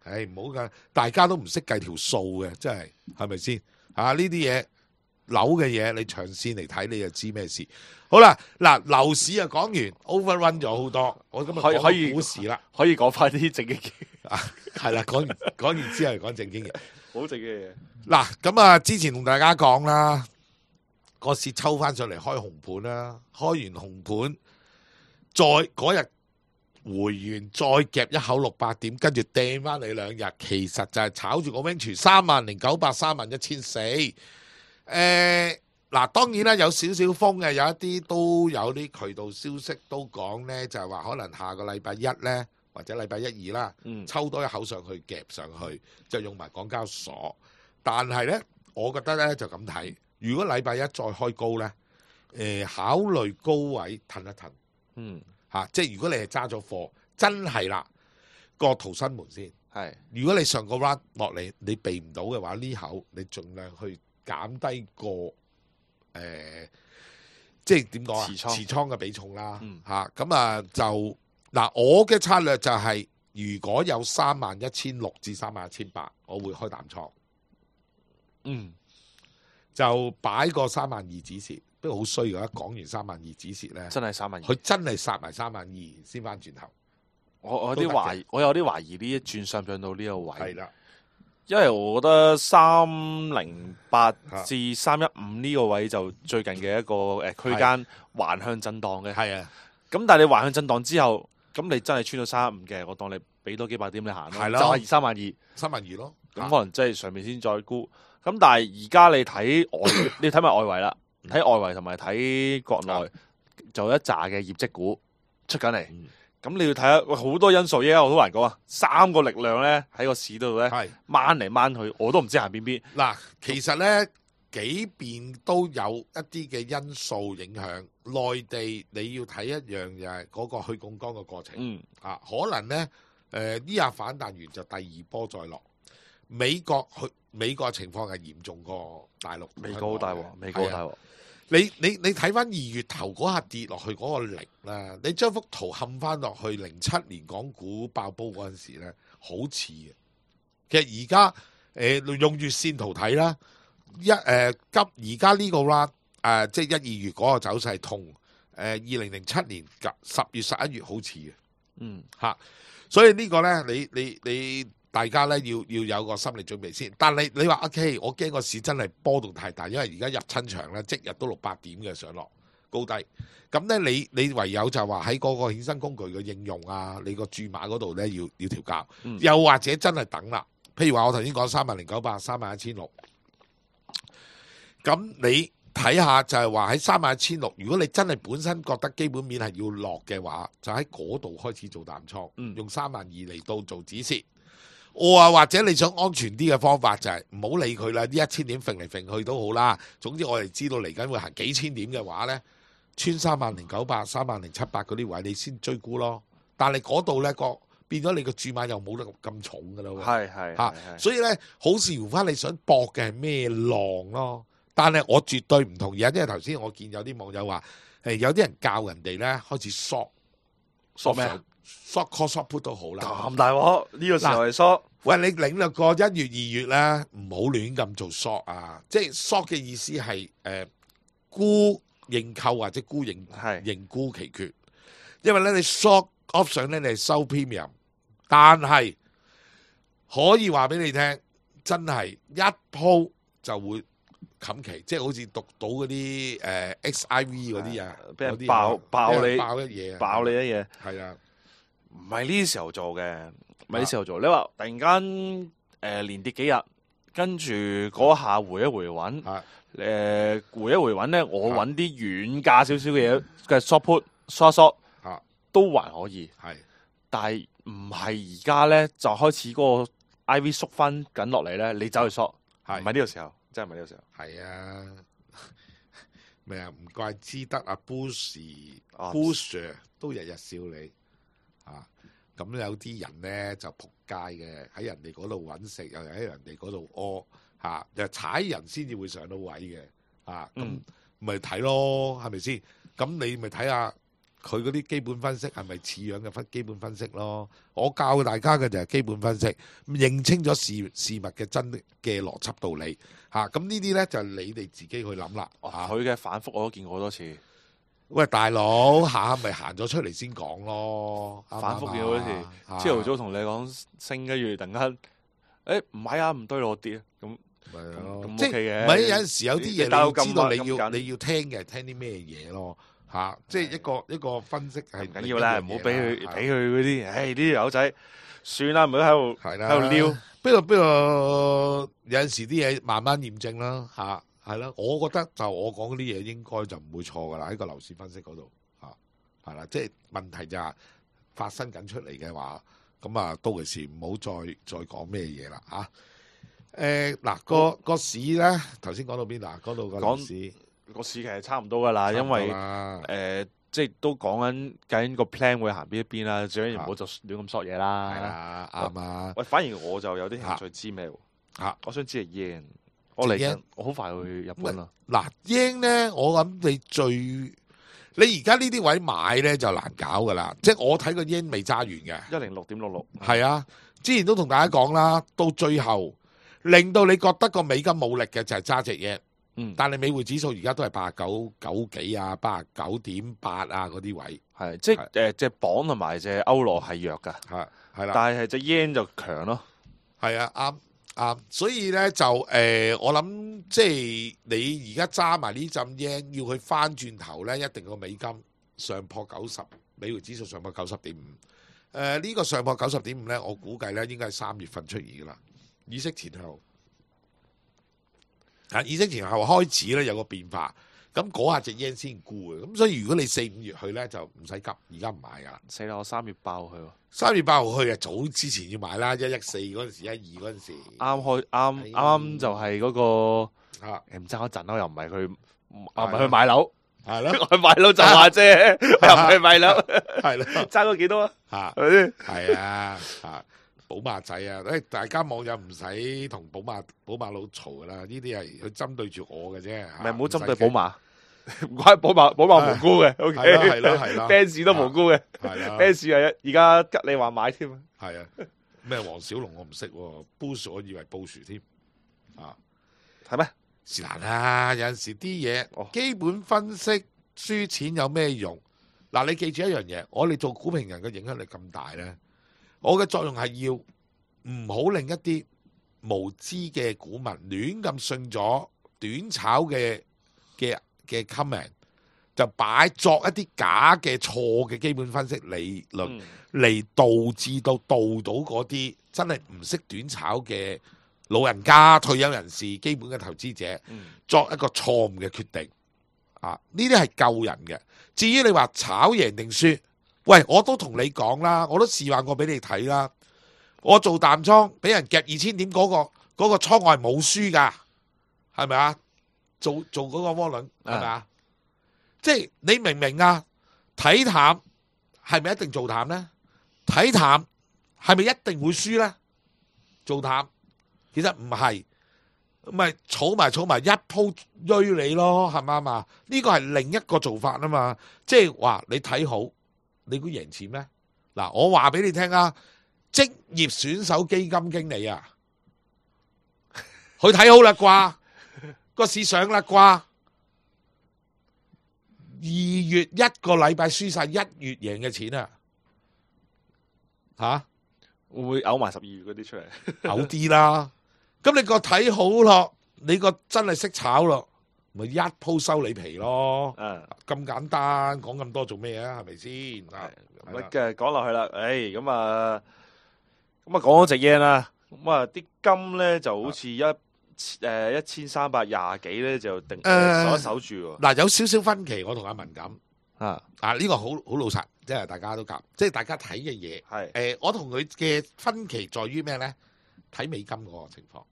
唉，唔好噶，大家都唔識計條數嘅，真係咪先？呢啲嘢樓嘅嘢，你長線嚟睇，你就知咩事。好啦，嗱，樓市啊講完 ，overrun 咗好多，我今日講股市啦，可以講翻啲正經嘢。係啦，講完之後講正經嘢，好正經嘢。嗱，咁啊，之前同大家講啦，個市抽翻上嚟開紅盤啦，開完紅盤，再嗰日。回完再夾一口600點，跟住掟翻你2日，其實就係炒住個 range 30,900、31,400。嗱，當然啦，有少少風嘅，有一啲都有啲渠道消息都講呢，就係話可能下個禮拜1呢，或者禮拜1、2啦，抽多一口上去夾上去，就用埋港交所。但係呢，我覺得呢就咁睇，如果禮拜1再開高呢，考慮高位褪一褪。即係如果你係揸咗貨，真係啦，個逃生門先。如果你上個 round 落嚟，你避唔到嘅話，呢口你盡量去減低個即係點講啊？持倉嘅比重啦。咁就嗱，我嘅策略就係、如果有31,600至31,800，我會開淡倉。就擺個32000止蝕，不過好衰㗎，講完32000止蝕咧，真係32000，佢真係殺埋32000先翻轉頭。我有啲懷疑，我有啲懷疑呢一轉上唔上到呢個位。係啦，因為我覺得308至315呢個位就最近嘅一個區間橫向震盪嘅。係啊，咁但係你橫向震盪之後，咁你真係穿到315嘅，我當你俾多幾百點你行咯，係咯就係32000。32000咯。咁可能即係上面先再沽。咁但係而家你睇外，你睇埋外圍啦，睇外圍同埋睇國內就有一紮嘅業績股出緊嚟。咁你要睇下，好多因素，依家我好難講啊。3個力量咧喺個市度咧，掹嚟掹去，我都唔知行邊。嗱，其實咧幾邊都有一啲嘅因素影響。內地你要睇一樣就係嗰個去槓桿嘅過程。可能咧呢下反彈完就第二波再落。美國情況係嚴重過大陸。美國好大鑊，美國好大鑊。你睇翻2月頭嗰下跌落去嗰個力啦，你將幅圖冚翻落去07年港股爆煲嗰陣時咧，好似嘅。其實而家用月線圖睇啦，而家呢個 round 即係1、2月嗰個走勢同2007年10月11月好似嘅。所以呢個咧，你大家咧要有個心理準備先。但係你話 OK， 我驚個市真係波動太大，因為而家入親場咧，即日都600點嘅上落高低。咁咧你唯有就話喺嗰個衍生工具嘅應用啊，你個注碼嗰度咧要調校。又或者真係等啦。譬如話我頭先講30900、31600，咁你睇下就係話喺31600，如果你真係本身覺得基本面係要落嘅話，就喺嗰度開始做淡倉，用32000嚟到做止蝕。或者你想安全啲嘅方法就係唔好理佢啦，呢1000點揈嚟揈去都好啦。總之我哋知道嚟緊會行幾千點嘅話呢，穿30900、30700嗰啲位你先追沽咯。但係嗰度呢變咗你個注碼又冇得咁重噶啦喎。所以呢，好視乎翻你想搏嘅係咩浪咯。但係我絕對唔同意啊，因為頭先我見有啲網友話有啲人教人哋呢開始short 咩啊？short call short put 都好啦。咁大鑊呢個時候係 short。喂，你領略過1月2月咧，唔好亂咁做 short 啊！即係 short 嘅意思係沽認購或者沽認沽期權。因為咧你 short option 咧你係收 premium， 但係可以話俾你聽，真係一鋪就會冚期，即係好似讀到嗰啲XIV 嗰啲啊，俾人爆你一嘢，爆你一嘢，係啊，唔係呢時候做嘅。唔係呢時候做，你話突然間連跌幾日，跟住嗰下回一回穩，回一回穩咧，我揾啲軟價少少嘅嘢嘅 short put short 都還可以，但係唔係而家咧就開始嗰個 IV 縮翻緊落嚟咧，你走去 short， 唔係呢個時候，真係唔係呢個時候。係啊，咩啊？唔怪之得阿 Bush 都日日笑你啊！咁有啲人咧就仆街嘅，喺人哋嗰度揾食，又喺人哋嗰度屙又踩人先至會上到位嘅咁咪睇咯，係咪先？咁你咪睇下佢嗰啲基本分析係咪似樣嘅基本分析咯？我教大家嘅就係基本分析，認清咗事物嘅真嘅邏輯道理咁呢啲咧就係你哋自己去諗啦。佢嘅反覆我都見過好多次。喂，大佬下咪行咗出嚟先講咯，反覆見好多次。朝頭早同你講升，跟住突然間，唔係啊，唔對路跌，咁即係唔係有陣時有啲嘢你要知道你要聽嘅，聽啲咩嘢咯即係一個分析係唔緊要啦，唔好俾佢嗰啲，呢啲友仔算啦，唔好喺度撩。不過有陣時啲嘢慢慢驗證啦係啦，我覺得就我講嗰啲嘢應該就唔會錯噶啦，喺個樓市分析嗰度係啦，即係問題就係發生緊出嚟嘅話，咁到其時唔好再講咩嘢啦嗱個市咧，頭先講到邊嗱？講到個市其實差唔多噶啦，因為即係都講緊究竟個 plan 會行邊一邊啦，最緊要唔好就亂咁索嘢啦。係啊，啱啊。喂，反而我就有啲興趣知咩喎？我想知係 yen。我嚟緊，我好快去日本啦。嗱，yen咧，我諗你而家呢啲位買咧就難搞噶啦。即係我睇個 yen 未揸完嘅106.66。係啊，之前都同大家講啦，到最後令到你覺得個美金冇力嘅就係揸隻 yen。但係美匯指數而家都係89.9幾啊，89.8啊嗰啲位，係即係隻磅同埋隻歐羅係弱㗎，係啦，但係隻 yen 就強咯。係啊，啱，所以咧就我諗即係你而家揸埋呢陣 yen，要佢翻轉頭咧，一定個美金上破90，美匯指數上破90.5。呢個上破90.5咧，我估計咧應該係3月份出現噶啦，議息前後。議息前後開始咧有個變化，咁嗰下隻 yen 先沽嘅，咁所以如果你4、5月去咧就唔使急，而家唔買噶啦。死啦！我3月8號去喎。3月8號去啊，早之前要買啦，114嗰陣時，12嗰陣時。啱就係嗰個唔爭一陣咯，又唔係佢去買樓，係咯，去買樓就話啫，又唔係買樓，係咯，爭咗幾多啊？係咪先？係啊，寶馬仔啊！大家網友唔使同寶馬佬嘈噶啦，呢啲係佢針對住我嘅啫。唔好針對寶馬，唔關寶馬無辜嘅。O K，係啦 ，Benz 都無辜嘅。係啦 ，Benz 係而家吉你話買添。係啊，咩黃小龍我唔識，Bush 我以為布殊添。係咩？是但啦，有陣時啲嘢基本分析輸錢有咩用？嗱，你記住一樣嘢，我哋做股評人嘅影響力咁大咧。我嘅作用係要唔好令一啲無知嘅股民亂咁信咗短炒嘅 comment， 就擺作一啲假嘅錯嘅基本分析理論嚟導致到嗰啲真係唔識短炒嘅老人家、退休人士、基本嘅投資者作一個錯誤嘅決定。呢啲係救人嘅。至於你話炒贏定輸，喂，我都同你講啦，我都示範過俾你睇啦。我做淡倉俾人夾2000點嗰個倉我係冇輸噶，係咪啊？做嗰個窩輪係咪啊？即係你明唔明啊？睇淡係咪一定做淡呢？睇淡係咪一定會輸呢？做淡其實唔係，咪儲埋一鋪追你咯，係咪啊？呢個係另一個做法啊嘛，即係話你睇好。你估贏錢咩？嗱，我話俾你聽啊，職業選手基金經理啊，佢睇好啦啩，個市上啦啩，2月1個禮拜輸晒1月贏嘅錢啊，會唔會嘔埋12月嗰啲出嚟？嘔啲啦，咁你個睇好咯，你個真係識炒咯。咪一鋪收你皮咯，咁簡單，講咁多做咩啊？係咪先？咁嘅講落去啦，咁啊講咗隻 yen 啦，咁啊啲金咧就好似1320幾咧就定守住喎。嗱，有少少分歧，我同阿文咁呢個好老實，即係大家都夾，即係大家睇嘅嘢係我同佢嘅分歧在於咩咧？睇美金嗰個情況，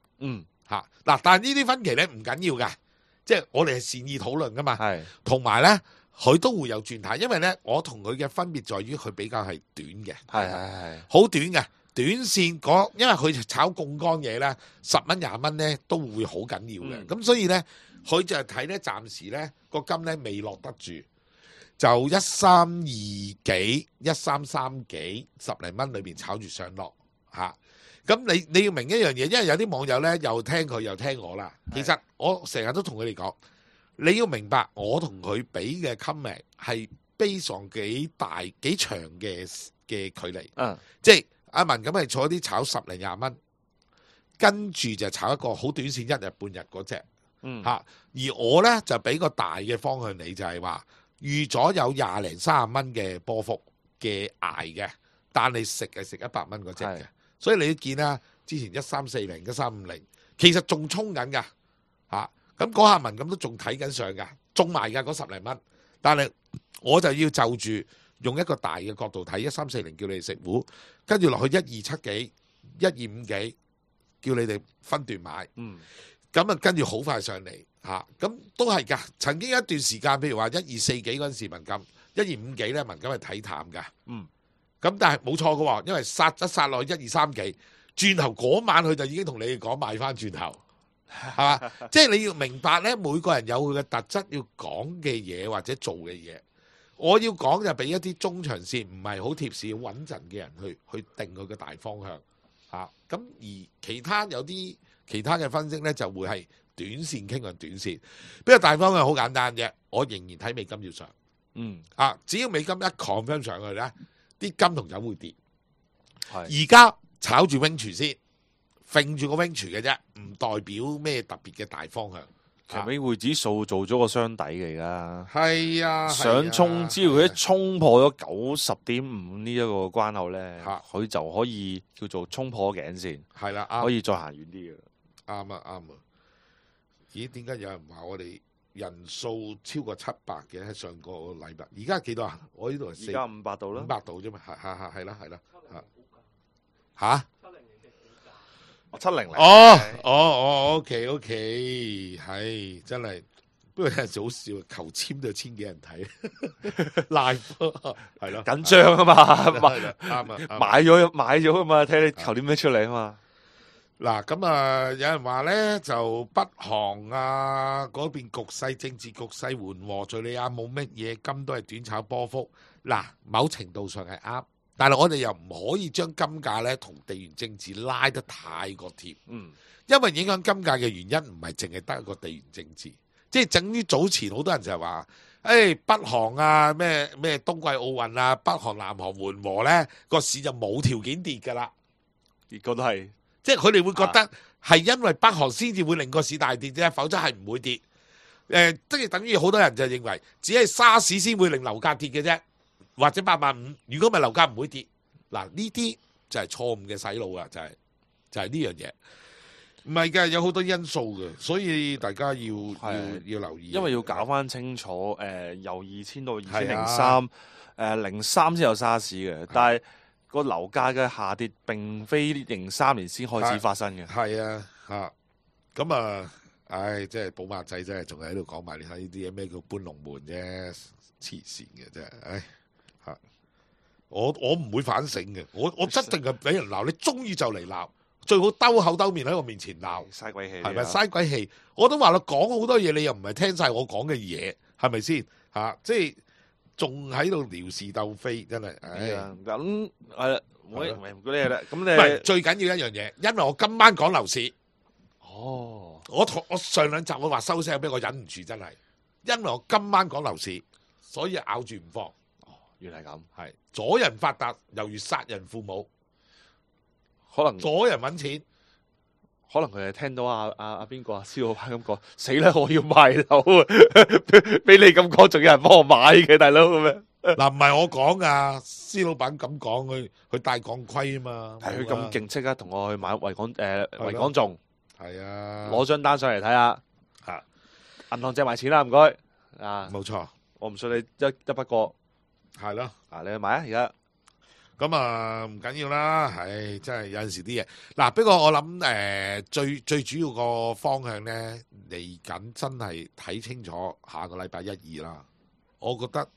嗱，但係呢啲分歧咧唔緊要㗎。即係我哋係善意討論噶嘛，同埋咧佢都會有轉態，因為咧我同佢嘅分別在於佢比較係短嘅，好短嘅短線嗰，因為佢炒槓桿嘢咧，10蚊20蚊咧都會好緊要嘅，咁所以咧佢就係睇咧暫時咧個金咧未落得住，就132幾133幾10零蚊裏邊炒住上落嚇。咁你要明一樣嘢，因為有啲網友咧又聽佢又聽我啦。其實我成日都同佢哋講，你要明白我同佢俾嘅 comment 係based on幾大幾長嘅距離。即係阿文咁係坐啲炒10零20蚊，跟住就炒一個好短線1日半日嗰隻。而我咧就俾個大嘅方向你，就係話預咗有20零30蚊嘅波幅嘅捱嘅，但你食係食100蚊嗰隻嘅。所以你都見啦，之前1340、1350，其實仲衝緊㗎嚇。咁嗰下文咁都仲睇緊上㗎，中埋㗎嗰10零蚊。但係我就要就住用一個大嘅角度睇1340，叫你哋食糊，跟住落去127幾、125幾，叫你哋分段買。咁跟住好快上嚟嚇，咁都係㗎。曾經一段時間，譬如話124幾嗰陣時，文金125幾咧，文金係睇淡㗎。咁但係冇錯嘅喎，因為殺落去123幾，轉頭嗰晚佢就已經同你哋講買翻轉頭，係嘛？即係你要明白咧，每個人有佢嘅特質，要講嘅嘢或者做嘅嘢。我要講就俾一啲中長線唔係好貼市、好穩陣嘅人去定佢嘅大方向嚇。咁而其他有啲其他嘅分析咧，就會係短線傾向短線。不過大方向好簡單啫，我仍然睇美金要上。只要美金一 confirm 上去咧，啲金同油會跌。而家炒住 range 先，揈住個 range 嘅啫，唔代表咩特別嘅大方向。其實美匯指數做咗個雙底嘅，而家係啊，想衝，只要佢一衝破咗90.5呢一個關口咧，佢就可以叫做衝破頸線，係啦，可以再行遠啲嘅。啱啊！咦？點解有人話我哋人數超過700嘅？喺上個禮拜，而家幾多啊？我呢度係而家500度啦，500度啫嘛，係啦，嚇。700OK，係真係，不過有陣時好笑，求簽都有千幾人睇，live 係咯，緊張啊嘛，啱買咗啊嘛，睇你求啲咩出嚟啊嘛。嗱咁有人話咧就北韓嗰邊政治局勢緩和，敍利亞冇乜嘢，金都係短炒波幅。嗱，某程度上係啱。但係我哋又唔可以將金價咧同地緣政治拉得太過貼，因為影響金價嘅原因唔係淨係得一個地緣政治，即係等於早前好多人就係話，北韓咩冬季奧運啊，北韓南韓緩和咧個市就冇條件跌㗎啦，結果都係，即係佢哋會覺得係因為北韓先至會令個市大跌啫，否則係唔會跌。即係等於好多人就認為只係沙士先會令樓價跌嘅啫。或者850，如果唔係樓價唔會跌。嗱，呢啲就係錯誤嘅洗腦啊！就係呢樣嘢，唔係㗎，有好多因素嘅，所以大家要留意。因為要搞翻清楚，由2000到2003，03先有沙士嘅，但係個樓價嘅下跌並非03年先開始發生嘅。係啊，咁即係寶馬仔真係仲喺度講埋你睇呢啲嘢，咩叫搬龍門啫，黐線嘅真係，我唔會反省嘅，我一定係俾人鬧，你中意就嚟鬧，最好兜口兜面喺我面前鬧，嘥鬼氣，係咪嘥鬼氣？我都話啦，講好多嘢，你又唔係聽晒我講嘅嘢，係咪先？即係仲喺度撩事鬥非，真係。咁係啦，唔嗰啲嘢啦。咁你唔係最緊要一樣嘢，因為我今晚講樓市。我上兩集我話收聲，俾我忍唔住，真係，因為我今晚講樓市，所以咬住唔放。原來係咁，係阻人發達，猶如殺人父母。可能阻人揾錢，可能佢係聽到阿邊個施老闆咁講，死啦！我要賣樓啊！俾你咁講，仲有人幫我買嘅，大佬咁樣。嗱，唔係我講噶，施老闆咁講，佢戴鋼盔啊嘛。係佢咁勁，即刻同我去買維港頌。係啊，攞張單上嚟睇下。銀行借埋錢啦，唔該。冇錯，我唔信你一筆過。係咯，你去買啊！而家咁唔緊要啦，真係有陣時啲嘢。嗱，不過我諗最主要個方向咧，嚟緊真係睇清楚下個禮拜1、2啦。我覺得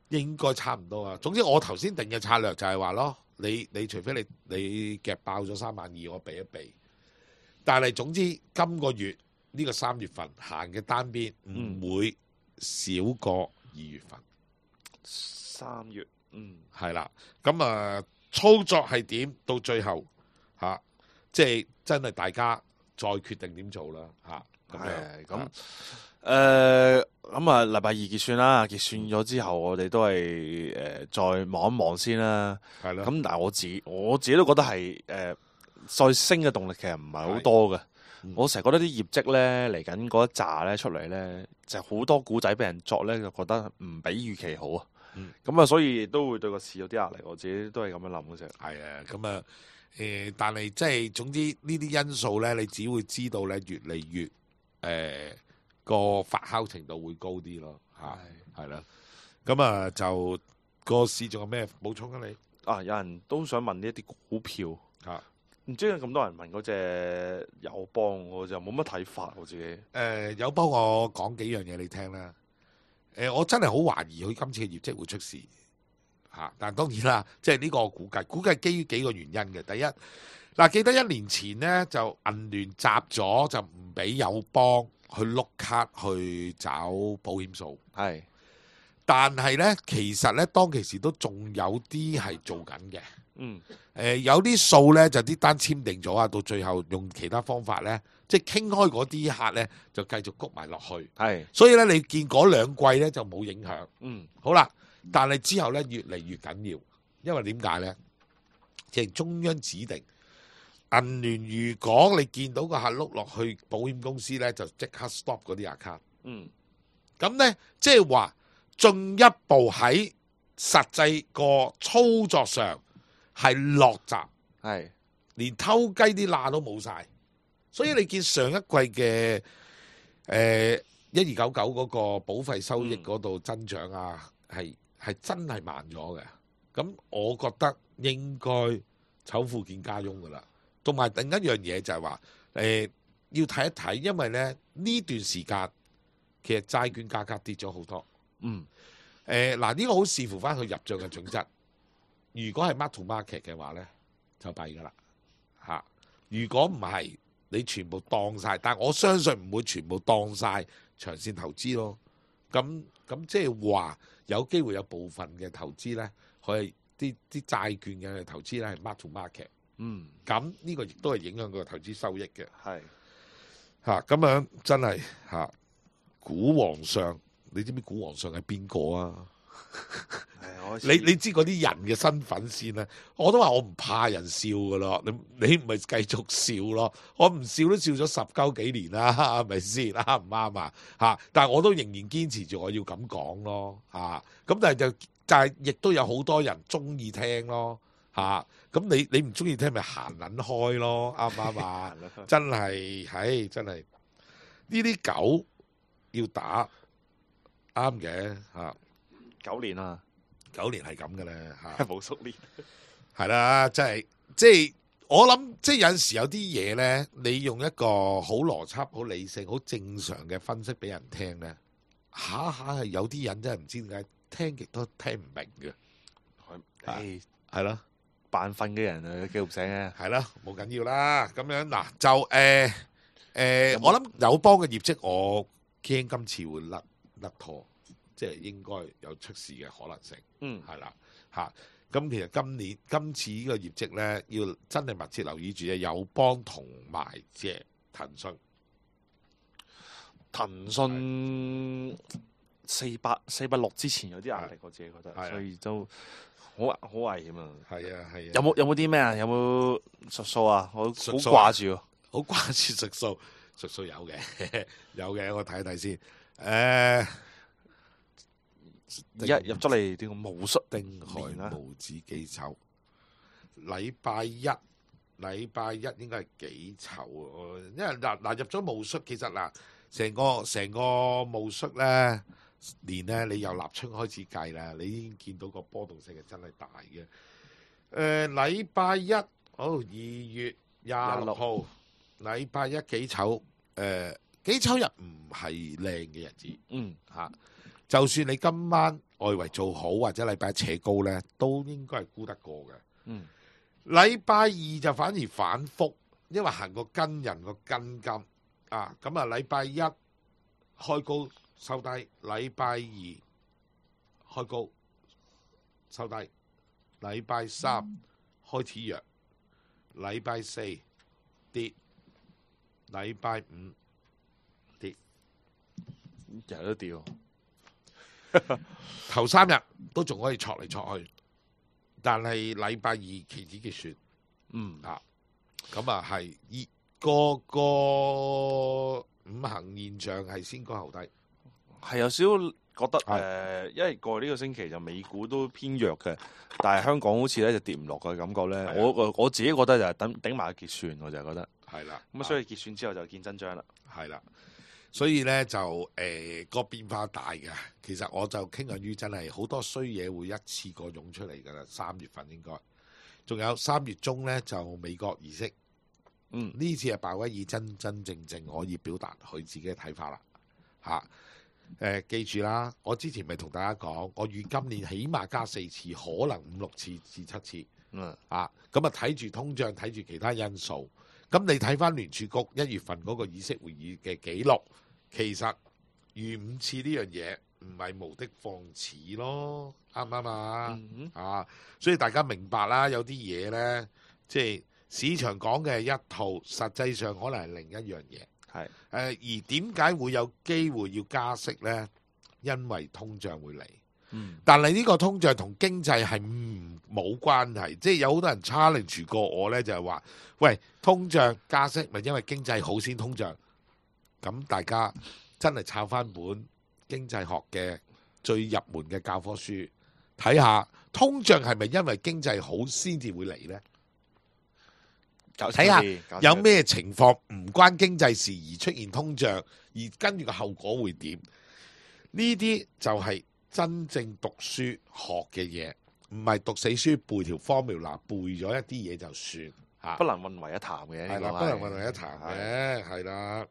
應該差唔多啊。總之我頭先定嘅策略就係話咯，你除非你夾爆咗32000，我避一避。但係總之今個月呢個3月份行嘅單邊唔會少過2月份。3月，係啦，咁操作係點？到最後即係真係大家再決定點做啦，咁禮拜2結算啦，結算咗之後，我哋都係再望一望先啦。係啦，咁但係我自己都覺得係再升嘅動力其實唔係好多嘅。我成日覺得啲業績咧嚟緊嗰一紮咧出嚟咧，就好多股仔俾人作咧，就覺得唔比預期好啊。咁所以都會對個市有啲壓力。我自己都係咁樣諗嘅啫。係啊，咁但係即係總之呢啲因素咧，你只會知道咧越嚟越個發酵程度會高啲咯。係啦，咁就個市仲有咩補充啊？你有人都想問呢一啲股票唔知有咁多人問嗰隻友邦，我就冇乜睇法我自己。友邦我講幾樣嘢你聽啦。我真係好懷疑佢今次嘅業績會出事但當然啦，即係呢個估計基於幾個原因嘅。第一，記得1年前呢，就銀聯集咗，就唔俾友邦去碌卡去找保險數。係。但係咧，其實咧，當其時都仲有啲係做緊嘅。有啲數咧就啲單簽訂咗啊，到最後用其他方法咧，即係傾開嗰啲客咧就繼續谷埋落去。所以咧你見嗰兩季咧就冇影響。好啦，但係之後咧越嚟越緊要，因為點解咧？即係中央指定銀聯，如果你見到個客碌落去保險公司咧，就即刻 stop 嗰啲 account。咁咧即係話進一步喺實際個操作上係落閘，連偷雞啲罅都冇晒。所以你見上一季嘅1299嗰個保費收益嗰度增長啊，係真係慢咗嘅。咁我覺得應該醜婦見家翁噶啦。同埋另一樣嘢就係話要睇一睇，因為咧呢段時間其實債券價格跌咗好多。嗱呢個好視乎翻佢入帳嘅準則。如果係 mark to market 嘅話咧，就弊噶啦嚇。如果唔係，你全部當晒，但我相信唔會全部當晒長線投資咯。咁即係話有機會有部分嘅投資咧，佢係啲債券嘅投資咧係 mark to market。咁呢個亦都係影響個投資收益嘅。咁樣真係股皇上，你知唔知股皇上係邊個啊？你知嗰啲人嘅身份先啦。我都話我唔怕人笑噶咯，你唔係繼續笑咯，我唔笑都笑咗10幾年啦，係咪先？啱唔啱啊？但係我都仍然堅持住我要咁講咯。咁但係亦都有好多人中意聽咯。咁你唔中意聽咪行撚開咯，啱唔啱啊？真係真係呢啲狗要打啱嘅9年啦，9年係咁嘅咧冇熟練係啦，即係我諗，即係有陣時有啲嘢咧，你用一個好邏輯、好理性、好正常嘅分析俾人聽咧，下係有啲人真係唔知點解聽極都聽唔明嘅，係咯。扮瞓嘅人啊，記唔醒嘅，係啦，冇緊要啦。咁樣嗱，就我諗友邦嘅業績，我驚今次會甩拖，即係應該有出事嘅可能性。係啦，咁其實今次呢個業績咧，要真係密切留意住嘅友邦同埋隻騰訊。騰訊460之前有啲壓力，我自己覺得，所以都。好危險啊！係啊！有冇啲咩啊？有冇術數啊？我好掛住，好掛住術數。術數有嘅，有嘅，我睇一睇先。入咗嚟點個武術丁亥無子幾丑？禮拜一應該係幾丑啊？因為嗱入咗武術，其實嗱成個武術咧。年咧，你由立春開始計啦，你已經見到個波動性係真係大嘅。禮拜一2月26號，禮拜一幾丑？幾丑日唔係靚嘅日子。就算你今晚外圍做好或者禮拜一扯高咧，都應該係估得過嘅。禮拜二就反而反覆，因為行個跟人個跟金咁啊，禮拜一開高。收低，禮拜二開高收低，禮拜三開始弱，禮拜四跌，禮拜五跌，日日都跌。頭3日都仲可以戳嚟戳去，但係禮拜二期指結算，咁係個五行現象係先高後低。係有少少覺得因為過呢個星期就美股都偏弱嘅，但係香港好似咧就跌唔落嘅感覺咧。我自己覺得就係頂埋結算，我就係覺得係啦。咁所以結算之後就見真章啦。係啦，所以咧就個變化大嘅。其實我就傾向於真係好多衰嘢會一次過湧出嚟㗎啦。3月份應該仲有3月中咧就美國議息。呢次係鮑威爾真正可以表達佢自己嘅睇法啦。記住啦，我之前咪同大家講，我預今年起碼加4次，可能5、6次至7次。咁啊睇住通脹，睇住其他因素。咁你睇翻聯儲局1月份嗰個議息會議嘅記錄，其實預5次呢樣嘢，唔係無的放矢咯，啱唔啱啊？嗯啊，所以大家明白啦，有啲嘢呢，即係市場講嘅係一套，實際上可能係另一樣嘢。係而點解會有機會要加息呢？因為通脹會嚟。但係呢個通脹同經濟係冇關係，即係有好多人 challenge 過我呢，就係話：喂，通脹加息咪因為經濟好先通脹？咁大家真係抄翻本經濟學嘅最入門嘅教科書，睇下通脹係咪因為經濟好先至會嚟呢？睇下有咩情況唔關經濟事而出現通脹，而跟住個後果會點？呢啲就係真正讀書學嘅嘢，唔係讀死書背條 formula，背咗一啲嘢就算嚇，不能混為一談嘅。係啦，不能混為一談嘅，係啦。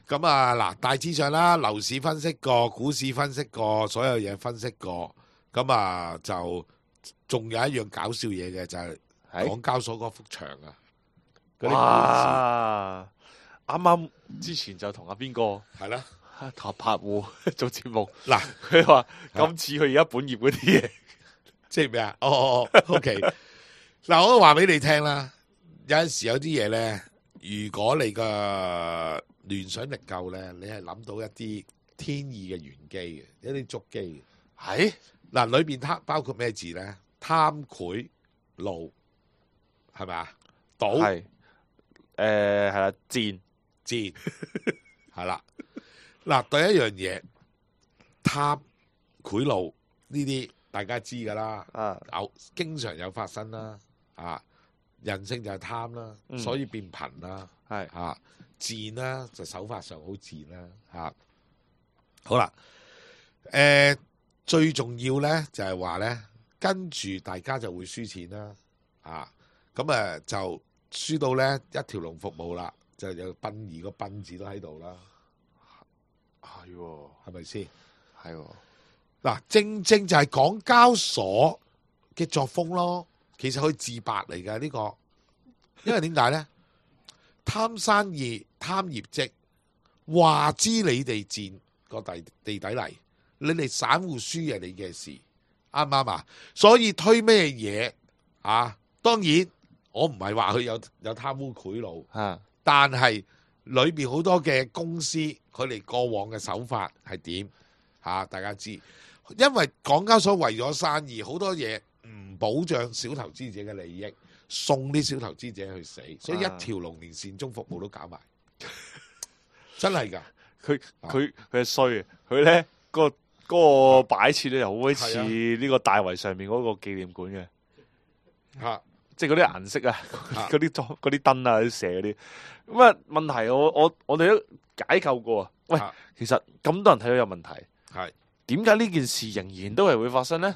咁啊嗱，大致上啦，樓市分析過，股市分析過，所有嘢分析過，咁啊就仲有一樣搞笑嘢嘅就係港交所嗰幅牆啊！哇！啱啱之前就同阿邊個係啦，同阿柏戶做節目嗱，佢話今次佢而家本業嗰啲嘢，即係咩啊？哦 ，OK。嗱，我都話俾你聽啦，有陣時有啲嘢咧，如果你個聯想力夠咧，你係諗到一啲天意嘅玄機嘅，一啲足機嘅。係嗱，裏邊包括咩字咧？貪賄賂係咪啊？賭係係啦，賤係啦。嗱，第一樣嘢貪賄賂呢啲大家知噶啦，有經常有發生啦。啊，人性就係貪啦，所以變貧啦。係啊，賤啦就手法上好賤啦。嚇，好啦，最重要咧就係話咧，跟住大家就會輸錢啦。啊，咁就輸到咧一條龍服務啦，就有殯儀個殯字都喺度啦。係喎，係咪先？係喎。嗱，正正就係港交所嘅作風咯。其實佢自白嚟㗎呢個，因為點解咧？貪生意、貪業績，話知你哋賤個地底嚟，你哋散戶輸係你嘅事，啱唔啱啊？所以推咩嘢啊？當然我唔係話佢有貪污賄賂，但係裏邊好多嘅公司，佢哋過往嘅手法係點嚇？大家知，因為港交所為咗生意，好多嘢唔保障小投資者嘅利益，送啲小投資者去死，所以一條龍連善終服務都搞埋，真係㗎。佢係衰，佢咧嗰個擺設咧又好似呢個大圍上面嗰個紀念館嘅嚇。即係嗰啲顏色啊，嗰啲燈啊，啲蛇嗰啲。咁啊問題我哋都解構過啊。喂，其實咁多人睇到有問題，係點解呢件事仍然都係會發生咧？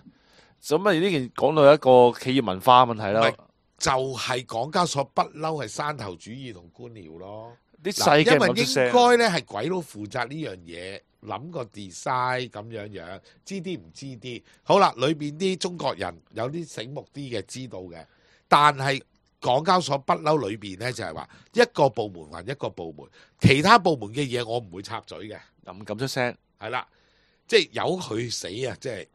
咁啊呢件講到一個企業文化問題啦，就係港交所不嬲係山頭主義同官僚咯。啲細嘅因為應該咧係鬼佬負責呢樣嘢，諗個 design 咁樣，知啲唔知啲。好啦，裏邊啲中國人有啲醒目啲嘅知道嘅。但係港交所不嬲裏邊咧，就係話一個部門還一個部門，其他部門嘅嘢我唔會插嘴嘅，又唔敢出聲，係啦，即係由佢死啊！即係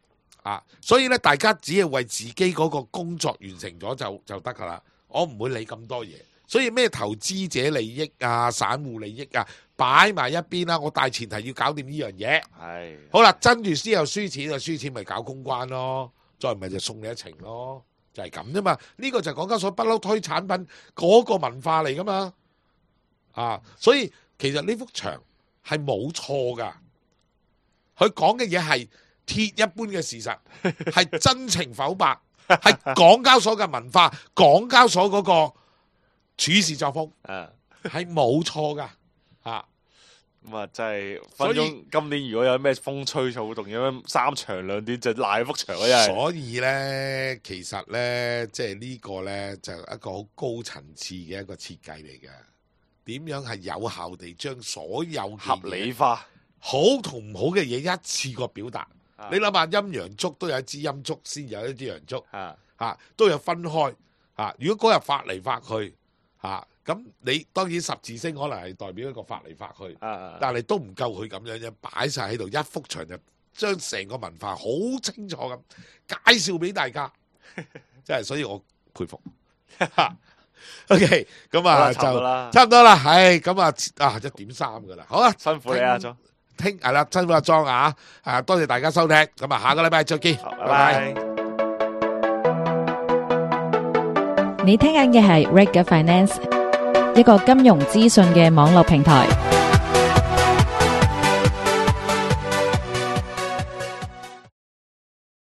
啊，所以咧大家只係為自己嗰個工作完成咗就得噶啦，我唔會理咁多嘢。所以咩投資者利益啊、散戶利益啊，擺埋一邊啦。我大前提要搞掂呢樣嘢。係好啦，跟住先有輸錢啊，輸錢咪搞公關咯，再唔係就送你一程咯。就係咁啫嘛，呢個就係港交所不嬲推產品嗰個文化嚟噶嘛，啊，所以其實呢幅牆係冇錯噶，佢講嘅嘢係鐵一般嘅事實，係真情剖白，係港交所嘅文化，港交所嗰個處事作風，係冇錯噶，啊。咁啊，真係分鐘今年如果有咩風吹草動，有咩三長兩短就賴幅牆嗰日。所以咧，其實咧，即係呢個咧，就一個好高層次嘅一個設計嚟嘅。點樣係有效地將所有合理化好同唔好嘅嘢一次過表達？你諗下，陰陽燭都有一支陰燭，先有一支陽燭，都有分開。如果嗰日發嚟發去，咁你當然十字星可能係代表一個發嚟發去，但係都唔夠佢咁樣啫，擺晒喺度一幅牆就將成個文化好清楚咁介紹俾大家，真係所以我佩服。OK， 咁啊就差唔多啦，係咁啊1:3噶啦，好啊，辛苦你啊，莊。聽係啦，辛苦阿莊啊，多謝大家收聽，咁啊下個禮拜再見，拜拜。你聽緊嘅係 Reg Finance，一個金融資訊嘅網絡平台。